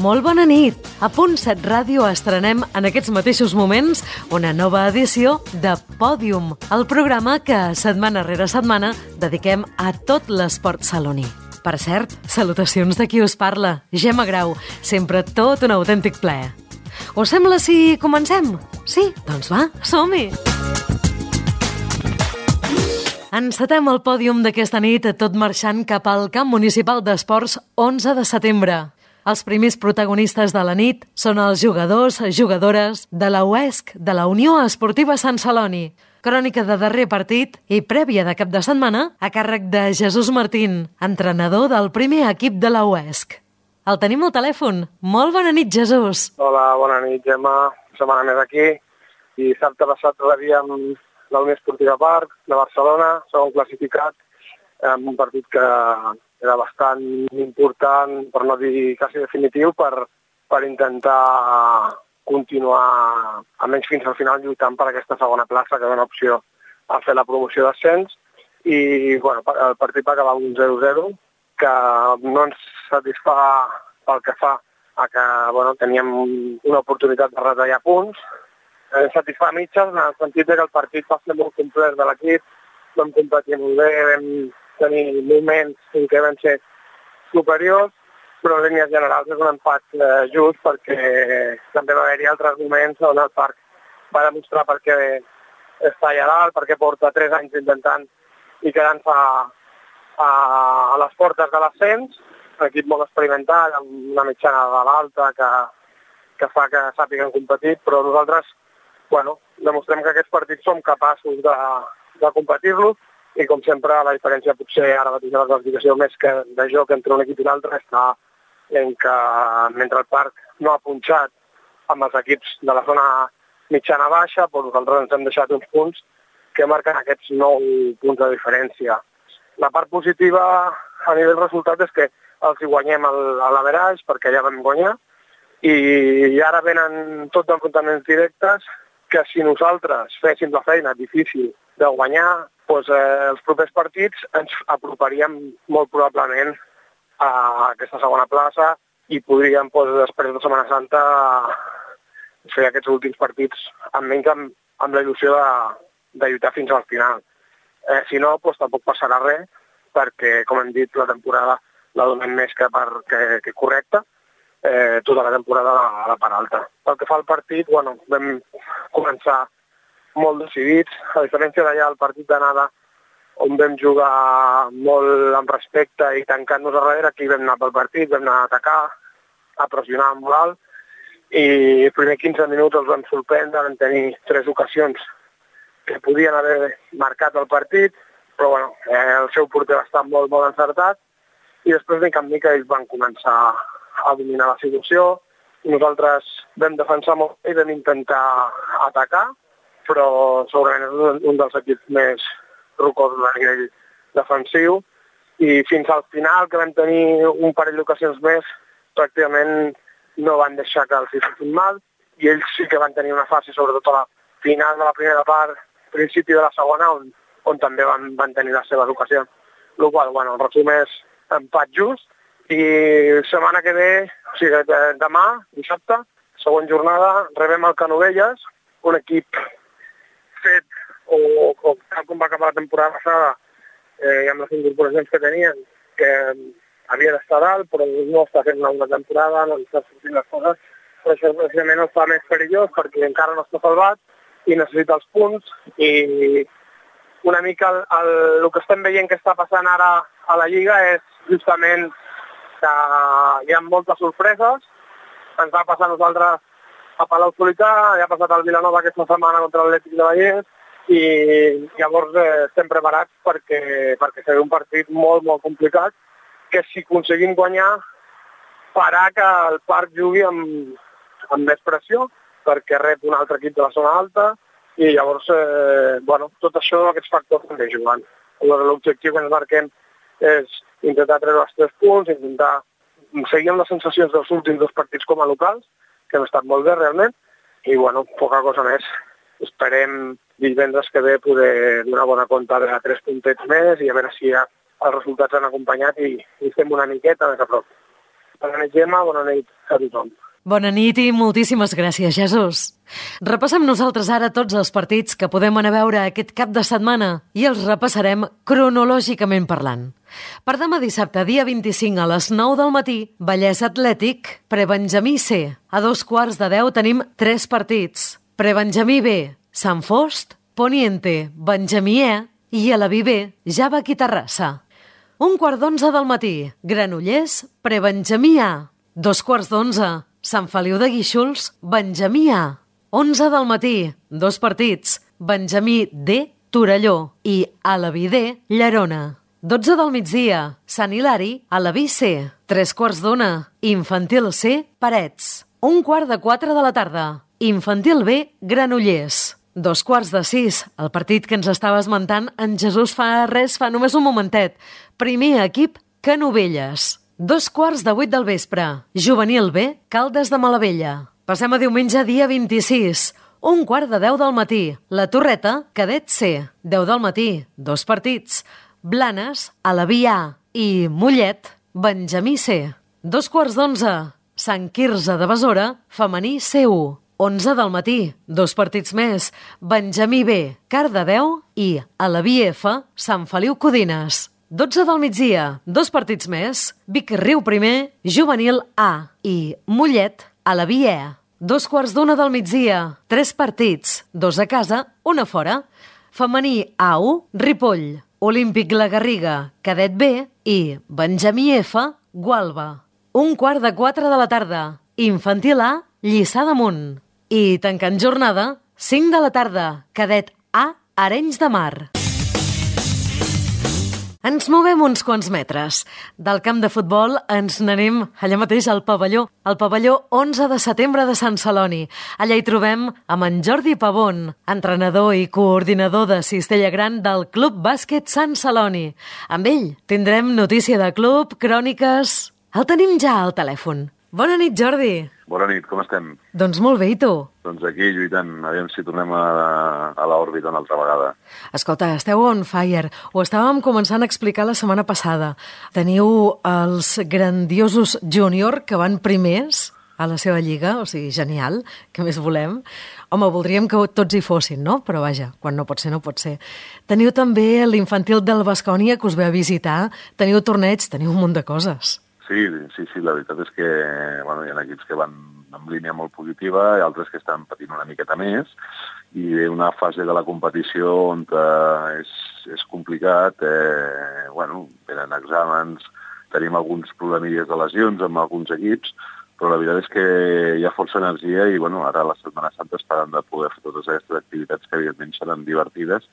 Molt bona nit! A Punt 7 Ràdio estrenem en aquests mateixos moments una nova edició de Pòdium, el programa que setmana rere setmana dediquem a tot l'esport saloní. Per cert, salutacions de qui us parla, Gemma Grau, sempre tot un autèntic plaer. Us sembla si comencem? Sí? Doncs va, som-hi! Encetem el pòdium d'aquesta nit tot marxant cap al camp municipal d'esports 11 de setembre. Els primers protagonistes de la nit són els jugadors, jugadores de la UESC, de la Unió Esportiva Sant Celoni. Crònica de darrer partit i prèvia de cap de setmana a càrrec de Jesús Martín, entrenador del primer equip de la UESC. El tenim al telèfon. Molt bona nit, Jesús. Hola, bona nit, Gemma. Setmana més aquí. I dissabte passat rebíem la Unió Esportiva Parc de Barcelona, segon classificat, en un partit que era bastant important, per no dir quasi definitiu, per intentar continuar, almenys fins al final, lluitant per aquesta segona plaça, que dona opció a fer la promoció d'ascens. I bueno, el partit va acabar un 0-0, que no ens satisfà pel que fa a que teníem una oportunitat de retallar punts. Ens satisfà a mitges, en el sentit que el partit va ser molt complet de l'equip, vam competir molt bé, vam tenir moments en què van ser superiors, però en línies generals és un empat just, perquè també va haver-hi altres moments on el Parc va demostrar per què està allà dalt, perquè porta 3 anys intentant i quedant-se a les portes de l'ascens, un equip molt experimental, amb una mitjana de l'alta que fa que sàpiguen competir, però nosaltres demostrem que aquests partits som capaços de competir-los, i com sempre la diferència potser ara mateix de la classificació més que de joc entre un equip i l'altre està en que mentre el Parc no ha punxat amb els equips de la zona mitjana-baixa, nosaltres ens hem deixat uns punts que marquen aquests 9 punts de diferència. La part positiva a nivell resultat és que els hi guanyem a l'average, perquè ja vam guanyar, i ara venen tots enfrontaments directes que si nosaltres féssim la feina difícil de guanyar, els propers partits ens aproparíem molt probablement a aquesta segona plaça i podríem, després de Setmana Santa, fer aquests últims partits almenys amb la il·lusió de lluitar fins al final. Si no, tampoc passarà res, perquè, com hem dit, la temporada la donem més que correcta, tota la temporada a la part alta. Pel que fa al partit, vam començar molt decidits, a diferència d'allà el partit d'anada, on vam jugar molt amb respecte i tancant-nos a darrere, aquí vam anar pel partit, vam anar a atacar, a pressionar amb moral, i els primers 15 minuts els vam sorprendre, vam tenir 3 ocasions que podien haver marcat el partit, però el seu porter va estar molt, molt encertat, i després de mica ells van començar a dominar la situació, i nosaltres vam defensar molt i vam intentar atacar, però segurament és un dels equips més rocosos a nivell defensiu, i fins al final, que vam tenir un parell d'ocasions més, pràcticament no van deixar que els hi fessin mal, i ells sí que van tenir una fase, sobretot a la final de la primera part, principi de la segona, on també van tenir les seves ocasions. El qual, el resum és empat just, i setmana que ve, o sigui, demà, dissabte, següent jornada, rebem el Canovelles, un equip fet, o tal com va acabar la temporada passada, i amb les incorporacions que tenien, que havia d'estar dalt, però no està fent una temporada, no està sortint les coses, però això precisament el fa més perillós, perquè encara no està salvat, i necessita els punts, i una mica el que estem veient que està passant ara a la Lliga és justament que hi ha moltes sorpreses. Ens va passar a nosaltres a Palau-solità, ja ha passat al Vilanova aquesta setmana contra l'Atlètic de Vallès, i llavors estem preparats perquè serà un partit molt, molt complicat, que si aconseguim guanyar farà que el Parc jugui amb més pressió, perquè rep un altre equip de la zona alta, i llavors, tot això, aquests factors també jugant. L'objectiu que ens marquem és intentar treure els 3 punts, intentar seguir amb les sensacions dels últims 2 partits com a locals, que han estat molt bé realment, i poca cosa més. Esperem divendres que ve poder donar bona compte de 3 puntets més i a veure si els resultats han acompanyat i estem una miqueta més a prop. Bona nit, Gemma, bona nit a tothom. Bona nit i moltíssimes gràcies, Jesús. Repassem nosaltres ara tots els partits que podem anar a veure aquest cap de setmana i els repassarem cronològicament parlant. Per demà dissabte, dia 25 a les 9 del matí, Vallès Atlètic, Prebenjamí C. A 9:45 tenim 3 partits. Prebenjamí B, Sant Fost, Poniente, Benjamí E i a la B, Javac i Terrassa. 11:45 del matí, Granollers, Prebenjamí A. 12:15, Sant Feliu de Guíxols, Benjamí A. 11 del matí, 2 partits, Benjamí D, Torelló i Alaví D, Llerona. 12 del migdia, Sant Hilari, Alaví C. 3:15, Infantil C, Parets. 1:15 de la tarda, Infantil B, Granollers. 5:45, el partit que ens estava esmentant en Jesús fa només un momentet. Primer equip, Canovelles. 7:15 del vespre, Juvenil B, Caldes de Malavella. Passem a diumenge, dia 26, 9:15 del matí, La Torreta, Cadet C. 10 del matí, 2 partits, Blanes, Alaví A i Mollet, Benjamí C. 2:15, Sant Quirze de Besora, Femení C1. 11 del matí, 2 partits més, Benjamí B, Cardedeu i Alaví F, Sant Feliu Codines. 12 del migdia, 2 partits més, Vic Riu primer, Juvenil A i Mollet, Alaví E. 2:15 del migdia, 3 partits, 2 a casa, 1 a fora, Femení A1, Ripoll, Olímpic La Garriga, Cadet B i Benjamí F, Gualba. 3:15 de la tarda, Infantil A, Lliçà d'Amunt. I tancant jornada, 5 de la tarda, Cadet A, Arenys de Mar. Ens movem uns quants metres. Del camp de futbol ens n'anem allà mateix al pavelló 11 de setembre de Sant Celoni. Allà hi trobem amb en Jordi Pavón, entrenador i coordinador de Cistella Gran del Club Bàsquet Sant Celoni. Amb ell tindrem notícia de club, cròniques... El tenim ja al telèfon. Bona nit, Jordi. Bona nit, com estem? Doncs molt bé, i tu? Doncs aquí lluitant, aviam si tornem a l'òrbita una altra vegada. Escolta, esteu on fire. Ho estàvem començant a explicar la setmana passada. Teniu els grandiosos júnior que van primers a la seva lliga, o sigui, genial, que més volem. Home, voldríem que tots hi fossin, no? Però vaja, quan no pot ser, no pot ser. Teniu també l'infantil del Baskonia que us ve a visitar, teniu torneig, teniu un munt de coses. Sí, la veritat és que bueno, hi ha equips que van en línia molt positiva i altres que estan patint una miqueta més i ve una fase de la competició on és complicat, venen exàmens, tenim alguns problemilles de lesions amb alguns equips, però la veritat és que hi ha força energia i ara a la Setmana Santa esperant de poder fer totes aquestes activitats que evidentment seran divertides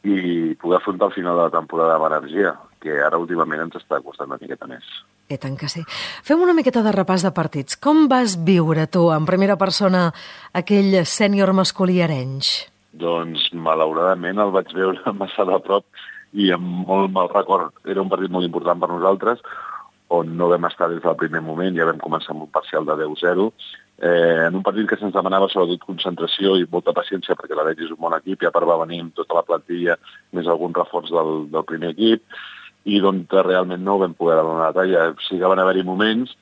i poder afrontar el final de la temporada amb energia, que ara últimament ens està costant una miqueta més. I tant que sí. Fem una miqueta de repàs de partits. Com vas viure tu, en primera persona, aquell sènior masculí Arenys? Doncs, malauradament, el vaig veure massa de prop i amb molt mal record. Era un partit molt important per nosaltres, on no vam estar des del primer moment, ja vam començar amb un parcial de 10-0, en un partit que se'ns demanava sobretot concentració i molta paciència, perquè l'Arenys és un bon equip, i a part va venir amb tota la plantilla, més algun reforç del primer equip, i d'on realment no vam poder donar la talla. Sí que van haver-hi moments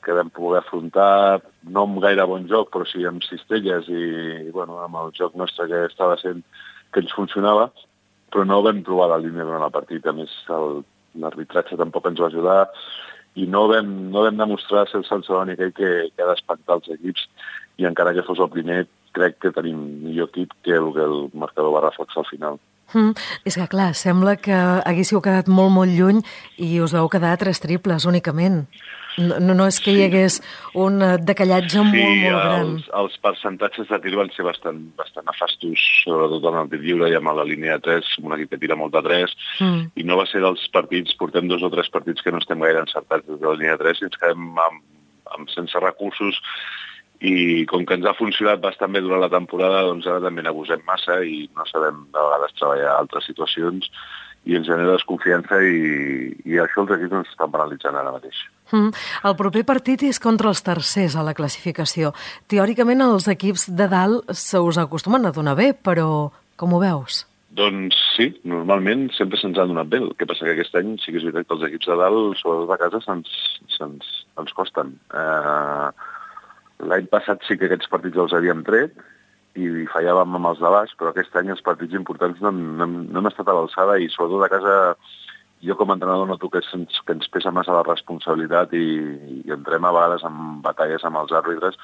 que vam poder afrontar, no amb gaire bon joc, però sí amb cistelles i amb el joc nostre que estava sent que ens funcionava, però no vam trobar la línia durant el partit. A més, l'arbitratge tampoc ens va ajudar i no vam demostrar ser el Sant Celoni aquell que ha d'espantar els equips, i encara que fos el primer, crec que tenim millor equip que el marcador va reflexar al final. És que, clar, sembla que haguéssiu quedat molt, molt lluny i us vau quedar 3 triples únicament. No és que hi hagués un decallatge molt gran. Sí, els percentatges de tir van ser bastant nefastos, sobretot en el tir lliure i amb la línia de 3, un equip que tira molt de 3, i no va ser dels partits, portem 2 o 3 partits que no estem gaire encertats des de la línia de 3 i ens quedem sense recursos, i com que ens ha funcionat bastant bé durant la temporada, doncs ara també n'abusem massa i no sabem de vegades treballar altres situacions i ens genera desconfiança i això els equips ens estan penalitzant ara mateix. El proper partit és contra els tercers a la classificació. Teòricament els equips de dalt se us acostumen a donar bé, però com ho veus? Doncs sí, normalment sempre se'ns ha donat bé. El que passa que aquest any sí que és veritat que els equips de dalt, sobretot de casa, ens costen. L'any passat sí que aquests partits els havíem tret i fallàvem amb els de baix, però aquest any els partits importants no hem estat a l'alçada i sobretot a casa jo com a entrenador noto que ens pesa massa la responsabilitat i entrem a vegades en batalles amb els àrbitres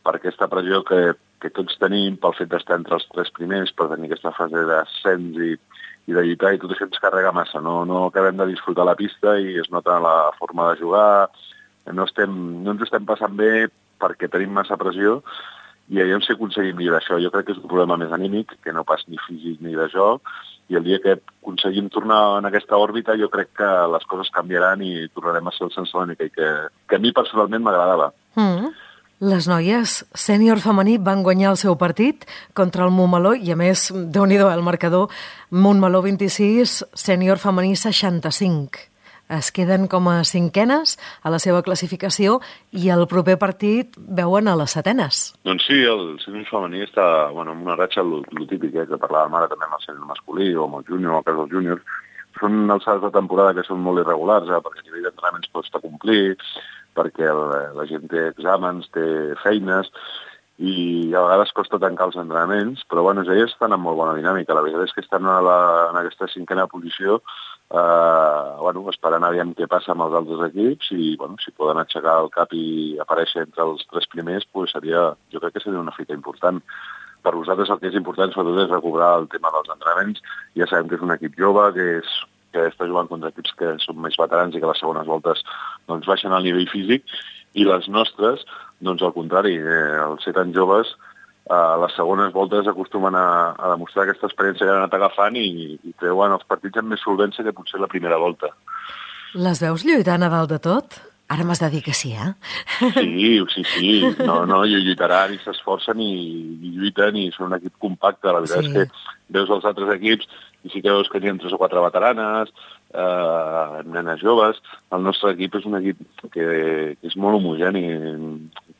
per aquesta pressió que tots tenim pel fet d'estar entre els 3 primers, per tenir aquesta fase d'ascens i de lluitar, i tot això ens carrega massa. No acabem de disfrutar la pista i es nota la forma de jugar. No ens estem passant bé perquè tenim massa pressió i aviam si aconseguim millorar això. Jo crec que és un problema més anímic, que no pas ni físic ni de joc, i el dia que aconseguim tornar en aquesta òrbita jo crec que les coses canviaran i tornarem a ser el Sant Celoni que a mi personalment m'agradava. Les noies sènior femení van guanyar el seu partit contra el Montmeló i, a més, déu-n'hi-do, el marcador, Montmeló 26, sènior femení 65. Es queden com a 5enes a la seva classificació i el proper partit veuen a les 7enes. Doncs sí, el sènior femení està en una ratxa, lo típic, que parlàvem ara també amb el sènior masculí o amb el júnior, o el cas dels júniors. Són alçades de temporada que són molt irregulars, perquè a nivell d'entrenaments costa complir, perquè la gent té exàmens, té feines, i a vegades costa tancar els entrenaments, però elles estan en molt bona dinàmica. La veritat és que estan en aquesta 5a posició, esperant aviam què passa amb els altres equips, i si poden aixecar el cap i aparèixer entre els 3 primers, jo crec que seria una fita important. Per nosaltres el que és important sobretot és recobrar el tema dels entrenaments. Ja sabem que és un equip jove, que està jugant contra equips que són més veterans i que a les segones voltes baixen el nivell físic, i les nostres, al contrari, els ser tan joves, a les segones voltes acostumen a demostrar aquesta experiència que han anat agafant i treuen els partits amb més solvència que potser la primera volta. Les veus lluitant a dalt de tot? Ara m'has de dir que sí, eh? Sí. No, lluitaran i s'esforcen i lluiten i són un equip compacte. La veritat és que veus els altres equips i sí que veus que n'hi ha 3 o 4 veteranes, nenes joves. El nostre equip és un equip que és molt homogeni,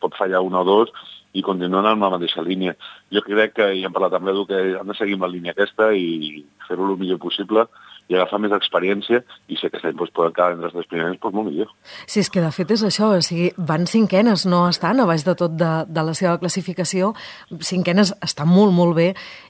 pot fallar 1 o 2 i continuen en la mateixa línia. Jo crec que, i hem parlat amb l'Edu, que han de seguir amb la línia aquesta i fer-ho el millor possible i agafar més experiència, i si aquest any poden quedar entre els 3 primers, molt millor. Sí, és que de fet és això, van 5enes, no estan a baix de tot de la seva classificació, 5enes està molt, molt bé,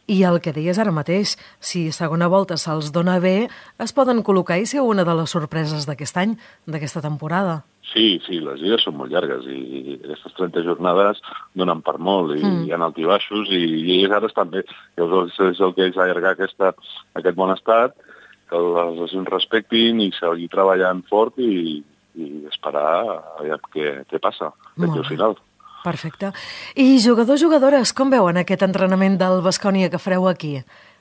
i el que deies ara mateix, si segona volta se'ls dona bé, es poden col·locar i ser una de les sorpreses d'aquest any, d'aquesta temporada. Sí, les lligues són molt llargues i aquestes 30 jornades donen per molt i hi ha altibaixos i ells ara estan bé. Llavors és el que és allargar aquest bon estat, que les lesions respectin i seguir treballant fort i esperar a veure què passa d'aquí al final. Perfecte. I jugadors-jugadores, com veuen aquest entrenament del Baskonia que fareu aquí,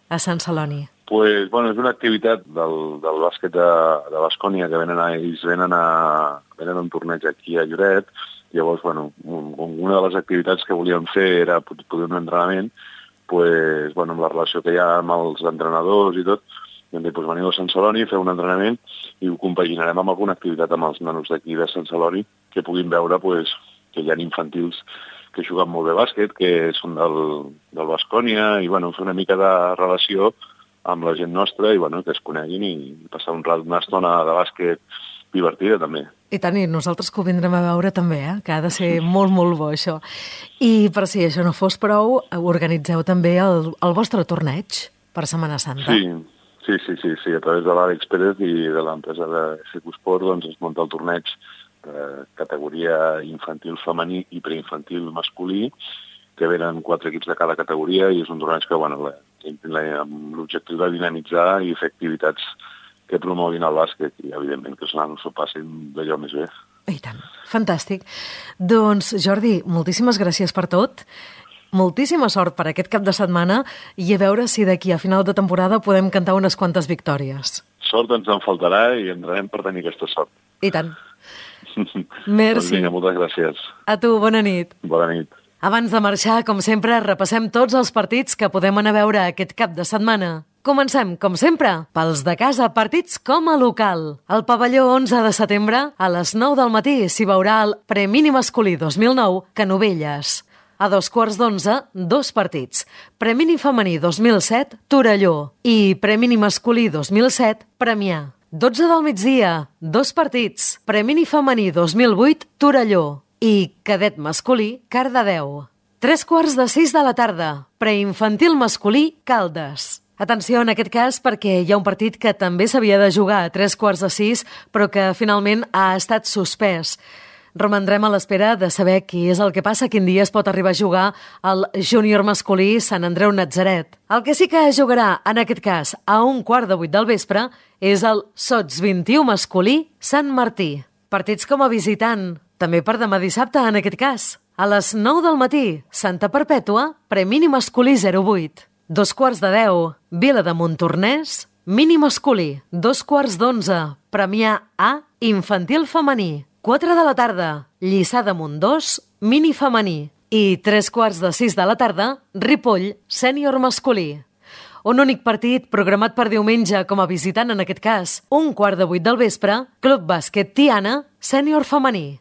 a Sant Celoni? És una activitat del bàsquet de Baskonia que ells venen a un torneig aquí a Lloret. Llavors, una de les activitats que volíem fer era poder un entrenament, amb la relació que hi ha amb els entrenadors i tot, veniu a Sant Celoni, fer un entrenament i ho compaginarem amb alguna activitat amb els nanos d'aquí de Sant Celoni que puguin veure que hi ha infantils que juguen molt bé bàsquet, que són del Baskonia, i fer una mica de relació amb la gent nostra i que es coneguin i passar una estona de bàsquet divertida també. I tant, i nosaltres que ho vindrem a veure també, que ha de ser molt, molt bo això. I per si això no fos prou, organitzeu també el vostre torneig per Setmana Santa. Sí, a través de l'Àlex Pérez i de l'empresa de Secusport es munta el torneig de categoria infantil femení i preinfantil masculí, que venen 4 equips de cada categoria i és un torneig que amb l'objectiu de dinamitzar i fer activitats que promoguin el bàsquet i, evidentment, que els nanos s'ho passin d'allò més bé. I tant, fantàstic. Doncs, Jordi, moltíssimes gràcies per tot. Moltíssima sort per aquest cap de setmana i a veure si d'aquí a final de temporada podem cantar unes quantes victòries. Sort ens en faltarà i entrarem per tenir aquesta sort. I tant. Merci. Doncs vinga, moltes gràcies. A tu, bona nit. Bona nit. Abans de marxar, com sempre, repassem tots els partits que podem anar a veure aquest cap de setmana. Comencem, com sempre, pels de casa, partits com a local. Al pavelló 11 de setembre, a les 9 del matí, s'hi veurà el Premini Masculí 2009 Canovelles. A 11:15, 2 partits. Premini femení 2007, Torelló. I Premini masculí 2007, Premià. 12 del migdia, 2 partits. Premini femení 2008, Torelló. I cadet masculí, Cardedeu. 3:15 de la tarda. Preinfantil masculí, Caldes. Atenció en aquest cas perquè hi ha un partit que també s'havia de jugar a 3:15, però que finalment ha estat suspès. Romandrem a l'espera de saber què és el que passa, quin dia es pot arribar a jugar el júnior masculí Sant Andreu Natzaret. El que sí que jugarà, en aquest cas, a 7:15 del vespre, és el Sots 21 masculí Sant Martí. Partits com a visitant, també per demà dissabte, en aquest cas. A les 9 del matí, Santa Perpètua, Premini masculí 08. 9:45, Vila de Montornès, mini masculí. 2:15, Premià A, infantil femení. 4 de la tarda, Lliçà de Montdós, mini femení. I 3:15 de la tarda, Ripoll, sènior masculí. Un únic partit programat per diumenge com a visitant en aquest cas. 7:15 del vespre, Club Bàsquet Tiana, sènior femení.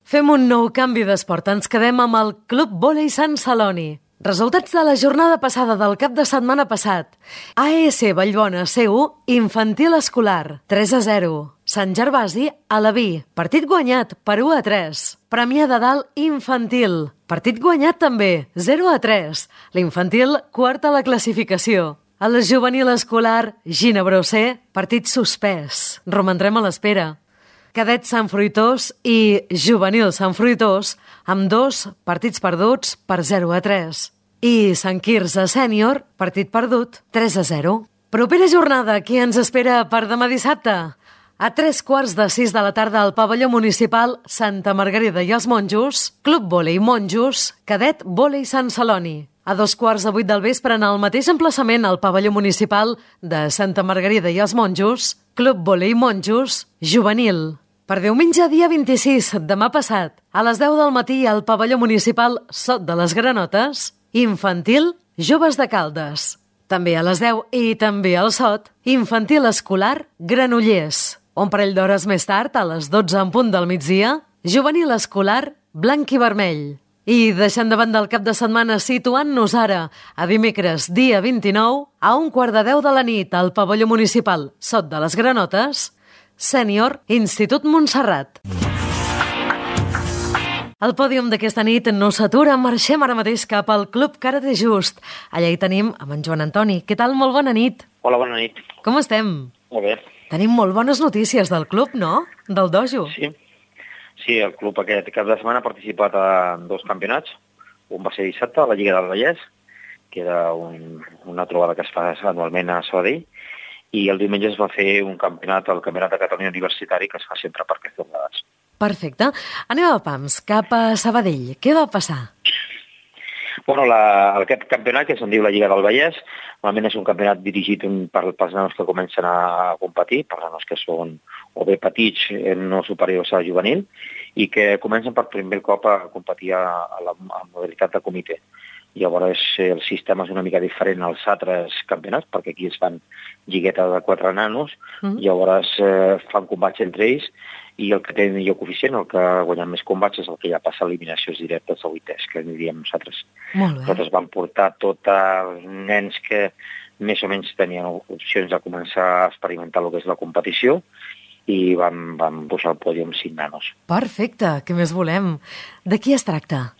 Fem un nou canvi d'esport. Ens quedem amb el Club Vòlei Sant Celoni. Resultats de la jornada passada del cap de setmana passat. AES Vallbona C1, infantil escolar, 3-0. Sant Gervasi, Alaví, partit guanyat per 1-3. Premià de Dalt infantil, partit guanyat també, 0-3. L'infantil, quart a la classificació. El juvenil escolar, Ginebró C, partit suspès. Romandrem a l'espera. Cadet Sant Fruitós i Juvenil Sant Fruitós, amb 2 partits perduts per 0-3. I Sant Quirze Sènior, partit perdut, 3-0. Propera jornada, qui ens espera per demà dissabte? A 3:15 de la tarda al pavelló municipal Santa Margarida i els Monjos, Club Vòlei Monjos, Cadet Vòlei Sant Celoni. A 7:15 del vespre en el mateix emplaçament al pavelló municipal de Santa Margarida i els Monjos, Club Vòlei Monjos, juvenil. Per diumenge, dia 26, demà passat, a les 10 del matí al pavelló municipal Sot de les Granotes, infantil, joves de Caldes. També a les 10 i també al Sot, infantil escolar, Granollers. Un parell d'hores més tard, a les 12 en punt del migdia, juvenil escolar, blanc i vermell. I deixant de banda el cap de setmana, situant-nos ara a dimecres, dia 29, a 9:15 de la nit al pavelló municipal Sot de les Granotes, sènior, Institut Montserrat. El pòdium d'aquesta nit no s'atura, marxem ara mateix cap al Club Karate Just. Allà hi tenim amb en Joan Antoni. Què tal? Molt bona nit. Hola, bona nit. Com estem? Molt bé. Tenim molt bones notícies del club, no? Del dojo. Sí, el club aquest cap de setmana ha participat en 2 campionats. Un va ser dissabte, a la Lliga del Vallès, que era una trobada que es fa anualment a Sabadell, i el diumenge es va fer un campionat, el Campionat de Catalunya Universitari, que es fa sempre per aquestes jornades. Perfecte. Anem a pams, cap a Sabadell. Què va passar? Bueno, aquest campionat, que se'n diu la Lliga del Vallès, normalment és un campionat dirigit pels nanos que comencen a competir, per nanos que són o bé petits, no superiors a juvenil, i que comencen per primer cop a competir a la modalitat de comitè. Llavors el sistema és una mica diferent als altres campionats, perquè aquí es fan lliguetes de 4 nanos, llavors fan combats entre ells, i el que té millor coeficient, el que ha guanyat més combats, és el que ja passa a eliminacions directes a 8ès, que diríem nosaltres. Nosaltres vam portar tots els nens que més o menys tenien opcions de començar a experimentar el que és la competició, i vam pujar al pòdium amb 5 nanos. Perfecte, què més volem? De qui es tracta?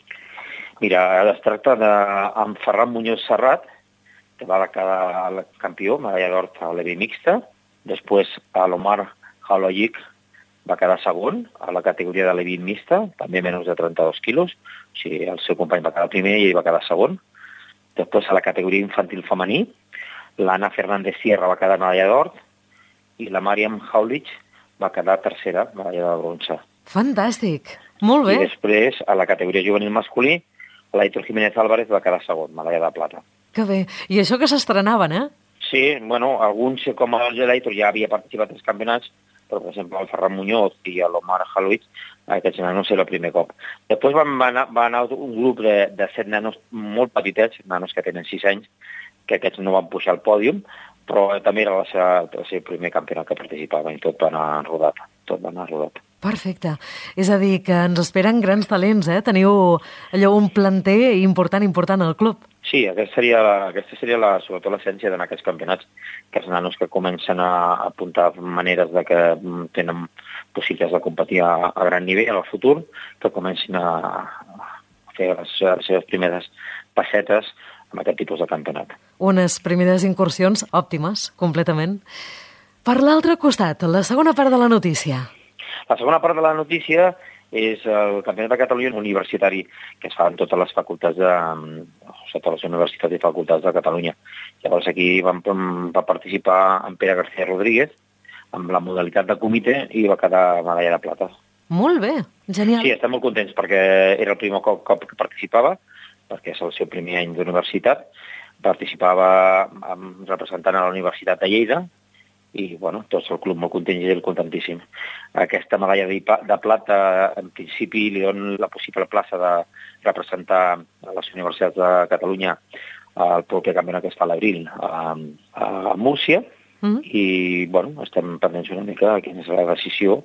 Mira, es tracta d'en Ferran Muñoz Serrat, que va quedar el campió, medalla d'or a l'EVI mixta. Després, l'Omar Haloyic va quedar segon a la categoria de l'EVI mixta, també menys de 32 quilos. O sigui, el seu company va quedar primer i ell va quedar segon. Després, a la categoria infantil femení, l'Anna Fernández Sierra va quedar medalla d'or i la Mariam Haulich va quedar tercera, medalla de bronze. Fantàstic, molt bé. I després, a la categoria juvenil masculí, l'Aitor Jiménez Álvarez va quedar segon, medalla de plata. Que bé. I això que s'estrenaven, eh? Sí, bueno, alguns, com l'Aitor, ja havia participat als campionats, però, per exemple, el Ferran Muñoz i l'Omar Haloich, aquests nanos era el primer cop. Després va anar un grup de 7 nanos molt petitets, nanos que tenen 6 anys, que aquests no van pujar al pòdium, però també era el seu primer campionat que participava i tot va anar rodat. Perfecte. És a dir, que ens esperen grans talents, eh? Teniu allò un planter important al club. Sí, aquesta seria sobretot l'essència d'anar a aquests campionats, que els nanos que comencen a apuntar maneres de que tenen possibilitats de competir a gran nivell en el futur, que comencin a fer les seves primeres passetes amb aquest tipus de campionat. Unes primeres incursions òptimes, completament. Per l'altre costat, la segona part de la notícia. La segona part de la notícia és el Campionat de Catalunya universitari, que es fa en totes les facultats totes les universitats i facultats de Catalunya. Llavors aquí va participar en Pere García Rodríguez amb la modalitat de comitè i va quedar medalla de plata. Molt bé, genial. Sí, estem molt contents perquè era el primer cop que participava, perquè és el seu primer any d'universitat. Participava representant a la Universitat de Lleida, i bueno, tot el club molt content i ell contentíssim. Aquesta medalla de plata, en principi, li dona la possible plaça de representar a les universitats de Catalunya el proper campionat que es fa a l'abril a Múrcia, i bueno, estem pendents una mica de quina és la decisió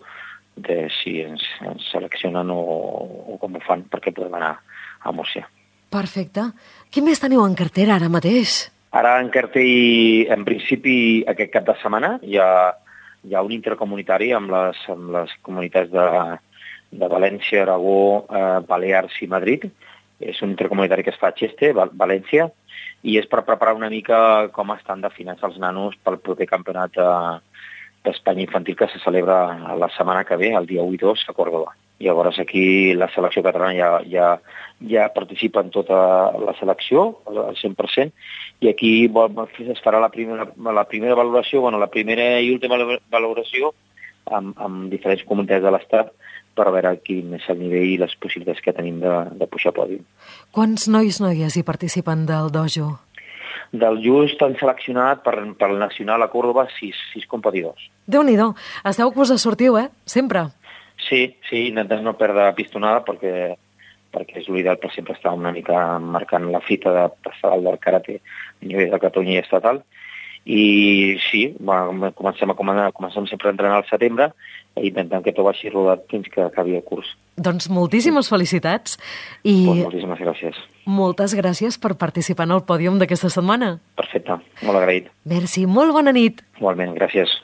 de si ens seleccionen o com ho fan perquè podem anar a Múrcia. Perfecte. Què més teniu en cartera ara mateix? Ara en cartell, en principi, aquest cap de setmana hi ha un intercomunitari amb les comunitats de València, Aragó, Balears i Madrid. És un intercomunitari que es fa a Xeste, València, i és per preparar una mica com estan definits els nanos pel proper campionat d'Espanya infantil que se celebra la setmana que ve, el dia 1 i 2, a Córdoba. Llavors aquí la selecció catalana ja participa en tota la selecció, al 100%, i aquí es farà la primera valoració, la primera i última valoració amb diferents comunitats de l'Estat per veure quin és el nivell i les possibilitats que tenim de pujar a pòdium. Quants noies hi participen del dojo? Del just han seleccionat per el Nacional a Córdoba 6 competidors. Déu-n'hi-do, esteu que us sortiu, sempre? Sí, intentem no perdre pistonada perquè és l'ideal per sempre estar una mica marcant la fita de passar del karate a nivell de Catalunya i estatal. I sí, comencem sempre a entrenar al setembre i intentem que tot vagi rodat fins que acabi el curs. Doncs moltíssimes felicitats i moltíssimes gràcies. Moltes gràcies per participar en el pòdium d'aquesta setmana. Perfecte, molt agraït. Merci, molt bona nit. Igualment, gràcies.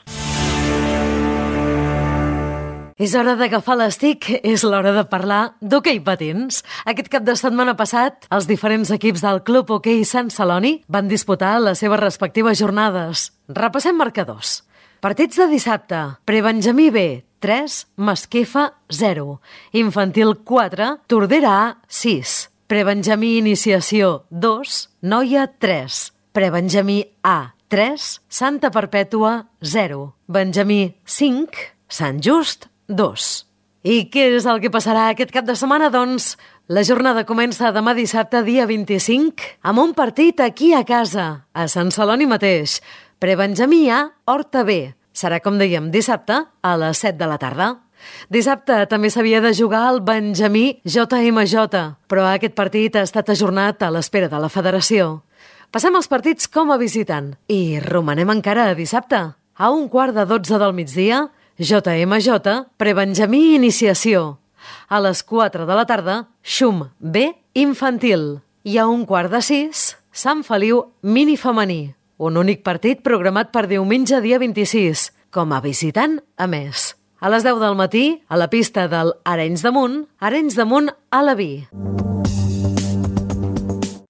És hora d'agafar l'estic, és l'hora de parlar d'hoquei patins. Aquest cap de setmana passat, els diferents equips del Club Hoquei Sant Celoni van disputar les seves respectives jornades. Repassem marcadors. Partits de dissabte. Prebenjamí B, 3, Masquefa 0. Infantil 4, Tordera A 6. Prebenjamí Iniciació 2, Noia 3. Prebenjamí A 3, Santa Perpètua 0. Benjamí 5, Sant Just 2. I què és el que passarà aquest cap de setmana? Doncs la jornada comença demà dissabte, dia 25, amb un partit aquí a casa, a Sant Celoni mateix. Prebenjamí A, Horta B. Serà, com dèiem, dissabte a les 7 de la tarda. Dissabte també s'havia de jugar el Benjamí JMJ, però aquest partit ha estat ajornat a l'espera de la federació. Passem els partits com a visitant i romanem encara a dissabte. A 11:45 del migdia, JMJ, Prebenjamí Iniciació. A les 4 de la tarda, Xum B, Infantil. I a 5:15, Sant Feliu Mini Femení. Un únic partit programat per diumenge dia 26, com a visitant a més. A les 10 del matí, a la pista del Arenys de Munt a la Vi.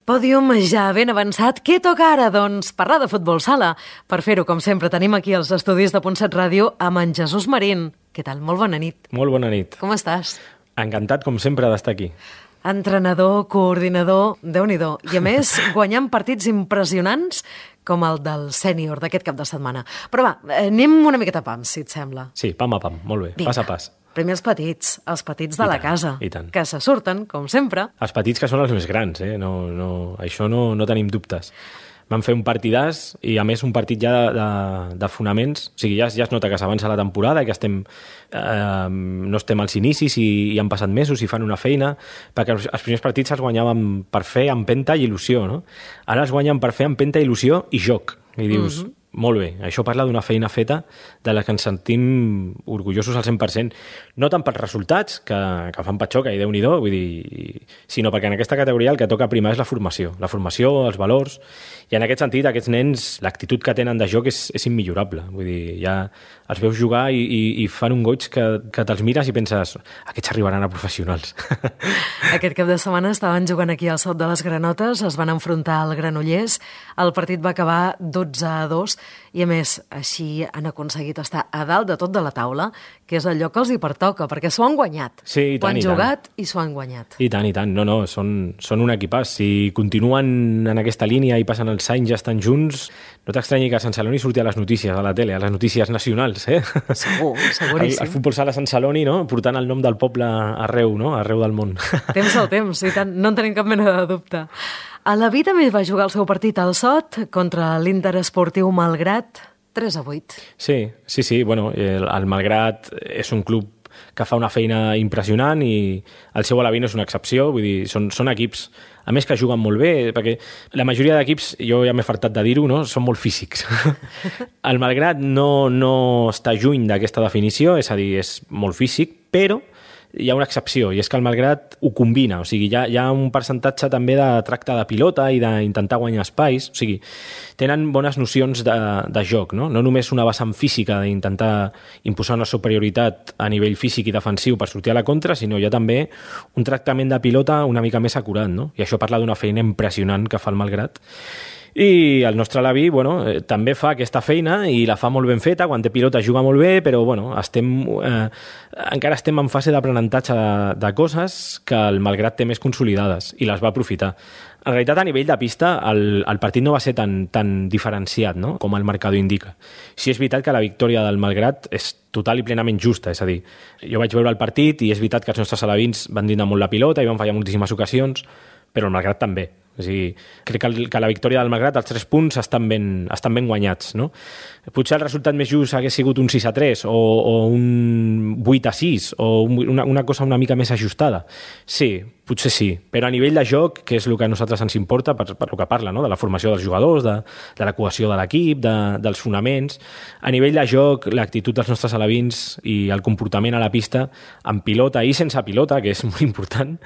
Pòdium ja ben avançat. Què toca ara? Doncs parlar de futbol sala. Per fer-ho, com sempre, tenim aquí els estudis de Ponset Ràdio amb en Jesús Marín. Què tal? Molt bona nit. Molt bona nit. Com estàs? Encantat, com sempre, d'estar aquí. Entrenador, coordinador, Déu-n'hi-do. I a més, guanyant partits impressionants com el del sènior d'aquest cap de setmana. Però va, anem una miqueta a pam, si et sembla. Sí, pam a pam, molt bé, pas a pas. Primer els petits de la casa, que se surten, com sempre. Els petits que són els més grans, això no tenim dubtes. Vam fer un partidàs i, a més, un partit ja de fonaments. O sigui, ja es nota que s'avança la temporada i que no estem als inicis i han passat mesos i fan una feina, perquè els primers partits es guanyaven per fer, empenta i il·lusió, no? Ara es guanyen per fer, empenta, il·lusió i joc. I dius, molt bé. Això parla d'una feina feta de la que ens sentim orgullosos al 100%. No tant pels resultats, que fan patxoca i Déu-n'hi-do, vull dir, sinó perquè en aquesta categoria el que toca primar és la formació, els valors, i en aquest sentit aquests nens, l'actitud que tenen de joc és immillorable. Vull dir, ja els veus jugar i fan un goig que te'ls mires i penses, aquests arribaran a professionals. Aquest cap de setmana estaven jugant aquí al Sot de les Granotes, es van enfrontar al Granollers, el partit va acabar 12-2 i a més així han aconseguit estar a dalt de tot de la taula, que és allò que els hi pertoca, perquè s'ho han guanyat. Sí, i tant, ho han jugat i s'ho han guanyat. I tant, i tant. No, són un equipàs. Si continuen en aquesta línia i passen els anys ja estan junts, no t'estranyi que Sant Celoni surti a les notícies, a la tele, a les notícies nacionals, eh? Segur, seguríssim. El futbol sala Sant Celoni, no? Portant el nom del poble arreu, no? Arreu del món. Temps al temps, i tant, no en tenim cap mena de dubte. A la vida també va jugar el seu partit al Sot contra l'Inter Esportiu Malgrat, 3-8. Sí. Bueno, el Malgrat és un club que fa una feina impressionant i el seu Alaví no és una excepció, vull dir, són equips, a més que juguen molt bé, perquè la majoria d'equips, jo ja m'he fartat de dir-ho, no? Són molt físics. El Malgrat no està lluny d'aquesta definició, és a dir, és molt físic, però hi ha una excepció, i és que el Malgrat ho combina, o sigui, hi ha un percentatge també de tracte de pilota i d'intentar guanyar espais, o sigui, tenen bones nocions de joc, no? No només una vessant física d'intentar imposar una superioritat a nivell físic i defensiu per sortir a la contra, sinó hi ha també un tractament de pilota una mica més acurat, no? I això parla d'una feina impressionant que fa el Malgrat. I el nostre Alaví, bueno, també fa aquesta feina i la fa molt ben feta, quan té pilota juga molt bé, però bueno, encara estem en fase d'aprenentatge de coses que el Malgrat té més consolidades i les va aprofitar. En realitat, a nivell de pista, el partit no va ser tan diferenciat, no?, com el marcador indica. Sí és veritat que la victòria del Malgrat és total i plenament justa, és a dir, jo vaig veure el partit i és veritat que els nostres alevins van dinar molt la pilota i van fallar moltíssimes ocasions, però el Malgrat també. És a dir, crec que la victòria del Malgrat, els 3 punts, estan ben guanyats, no? Potser el resultat més just hagués sigut un 6-3 o un 8-6 o una cosa una mica més ajustada. Sí, potser sí, però a nivell de joc, que és el que a nosaltres ens importa, per el que parla, no? De la formació dels jugadors, de la cohesió de l'equip, dels fonaments, a nivell de joc, l'actitud dels nostres alevins i el comportament a la pista, amb pilota i sense pilota, que és molt important,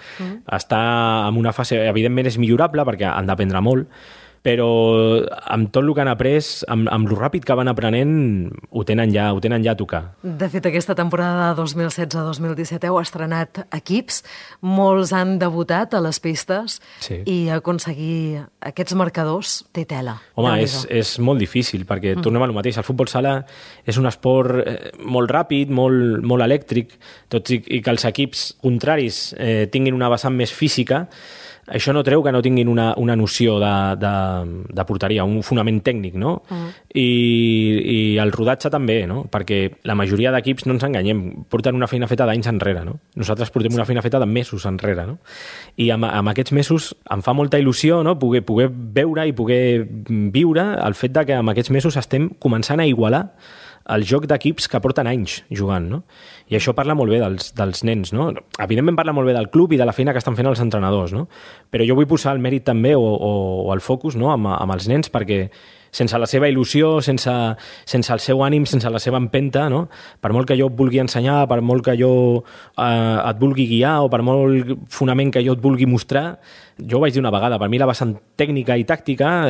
està en una fase, evidentment és millorable, perquè han d'aprendre molt, però amb tot el que han après, amb lo ràpid que van aprenent, ho tenen ja a tocar. De fet, aquesta temporada de 2016-2017 heu estrenat equips, molts han debutat a les pistes, sí, i aconseguir aquests marcadors té tela. Home, és molt difícil, perquè tornem al mateix. El futbol sala és un esport molt ràpid, molt elèctric, tot i que els equips contraris tinguin una vessant més física. Això no treu que no tinguin una noció de porteria, un fonament tècnic, no? I el rodatge també, no? Perquè la majoria d'equips, no ens enganyem, porten una feina feta d'anys enrere, no? Nosaltres portem una feina feta de mesos enrere, no? I amb aquests mesos em fa molta il·lusió, no?, poder veure i poder viure el fet de que amb aquests mesos estem començant a igualar el joc d'equips que porten anys jugant, no? I això parla molt bé dels nens, no? Evidentment parla molt bé del club i de la feina que estan fent els entrenadors, no? Però jo vull posar el mèrit també o el focus, no?, amb els nens, perquè sense la seva il·lusió, sense el seu ànim, sense la seva empenta, no?, per molt que jo et vulgui ensenyar, per molt que jo et vulgui guiar o per molt fonament que jo et vulgui mostrar, jo ho vaig dir una vegada, per mi la vessant tècnica i tàctica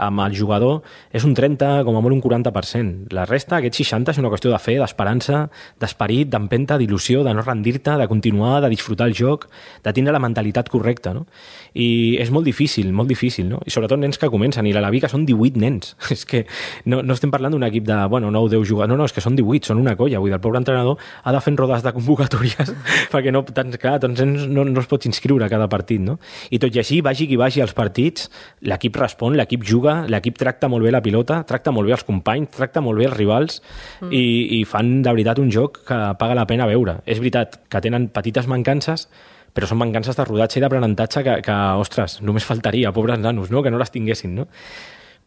amb el jugador és un 30, com a molt un 40%. La resta, aquest 60, és una qüestió de fe, d'esperança, d'esperit, d'empenta, d'il·lusió, de no rendir-te, de continuar, de disfrutar el joc, de tindre la mentalitat correcta, no? I és molt difícil, no? I sobretot nens que comencen, i l'Alaví que són 18 nens. És que no estem parlant d'un equip de, 9 o 10 jugadors, no, és que són 18, són una colla. Vull dir, el pobre entrenador ha de fer rodes de convocatòries perquè tants nens no es pot inscriure a cada partit, no? I tot i així, vagi qui vagi als partits, l'equip respon, l'equip juga, l'equip tracta molt bé la pilota, tracta molt bé els companys, tracta molt bé els rivals i fan de veritat un joc que paga la pena veure. És veritat que tenen petites mancances, però són mancances de rodatge i d'aprenentatge que, ostres, només faltaria, pobres nanos, no?, que no les tinguessin, no?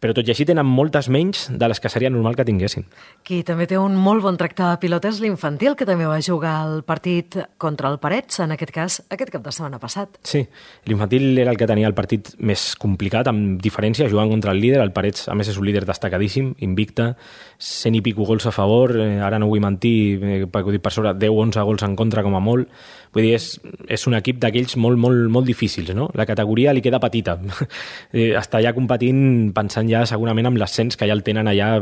però tot i així tenen moltes menys de les que seria normal que tinguessin. Qui també té un molt bon tracte de pilota és l'Infantil, que també va jugar el partit contra el Parets, en aquest cas, aquest cap de setmana passat. Sí, l'Infantil era el que tenia el partit més complicat, amb diferència, jugant contra el líder. El Parets, a més, és un líder destacadíssim, invicte, 100 i pico gols a favor, ara no vull mentir, perquè ho dic per sobre, 10-11 gols en contra com a molt. Vull dir, és un equip d'aquells molt difícils, no? La categoria li queda petita. Està ja competint, pensant ja segurament amb l'ascens que ja el tenen allà,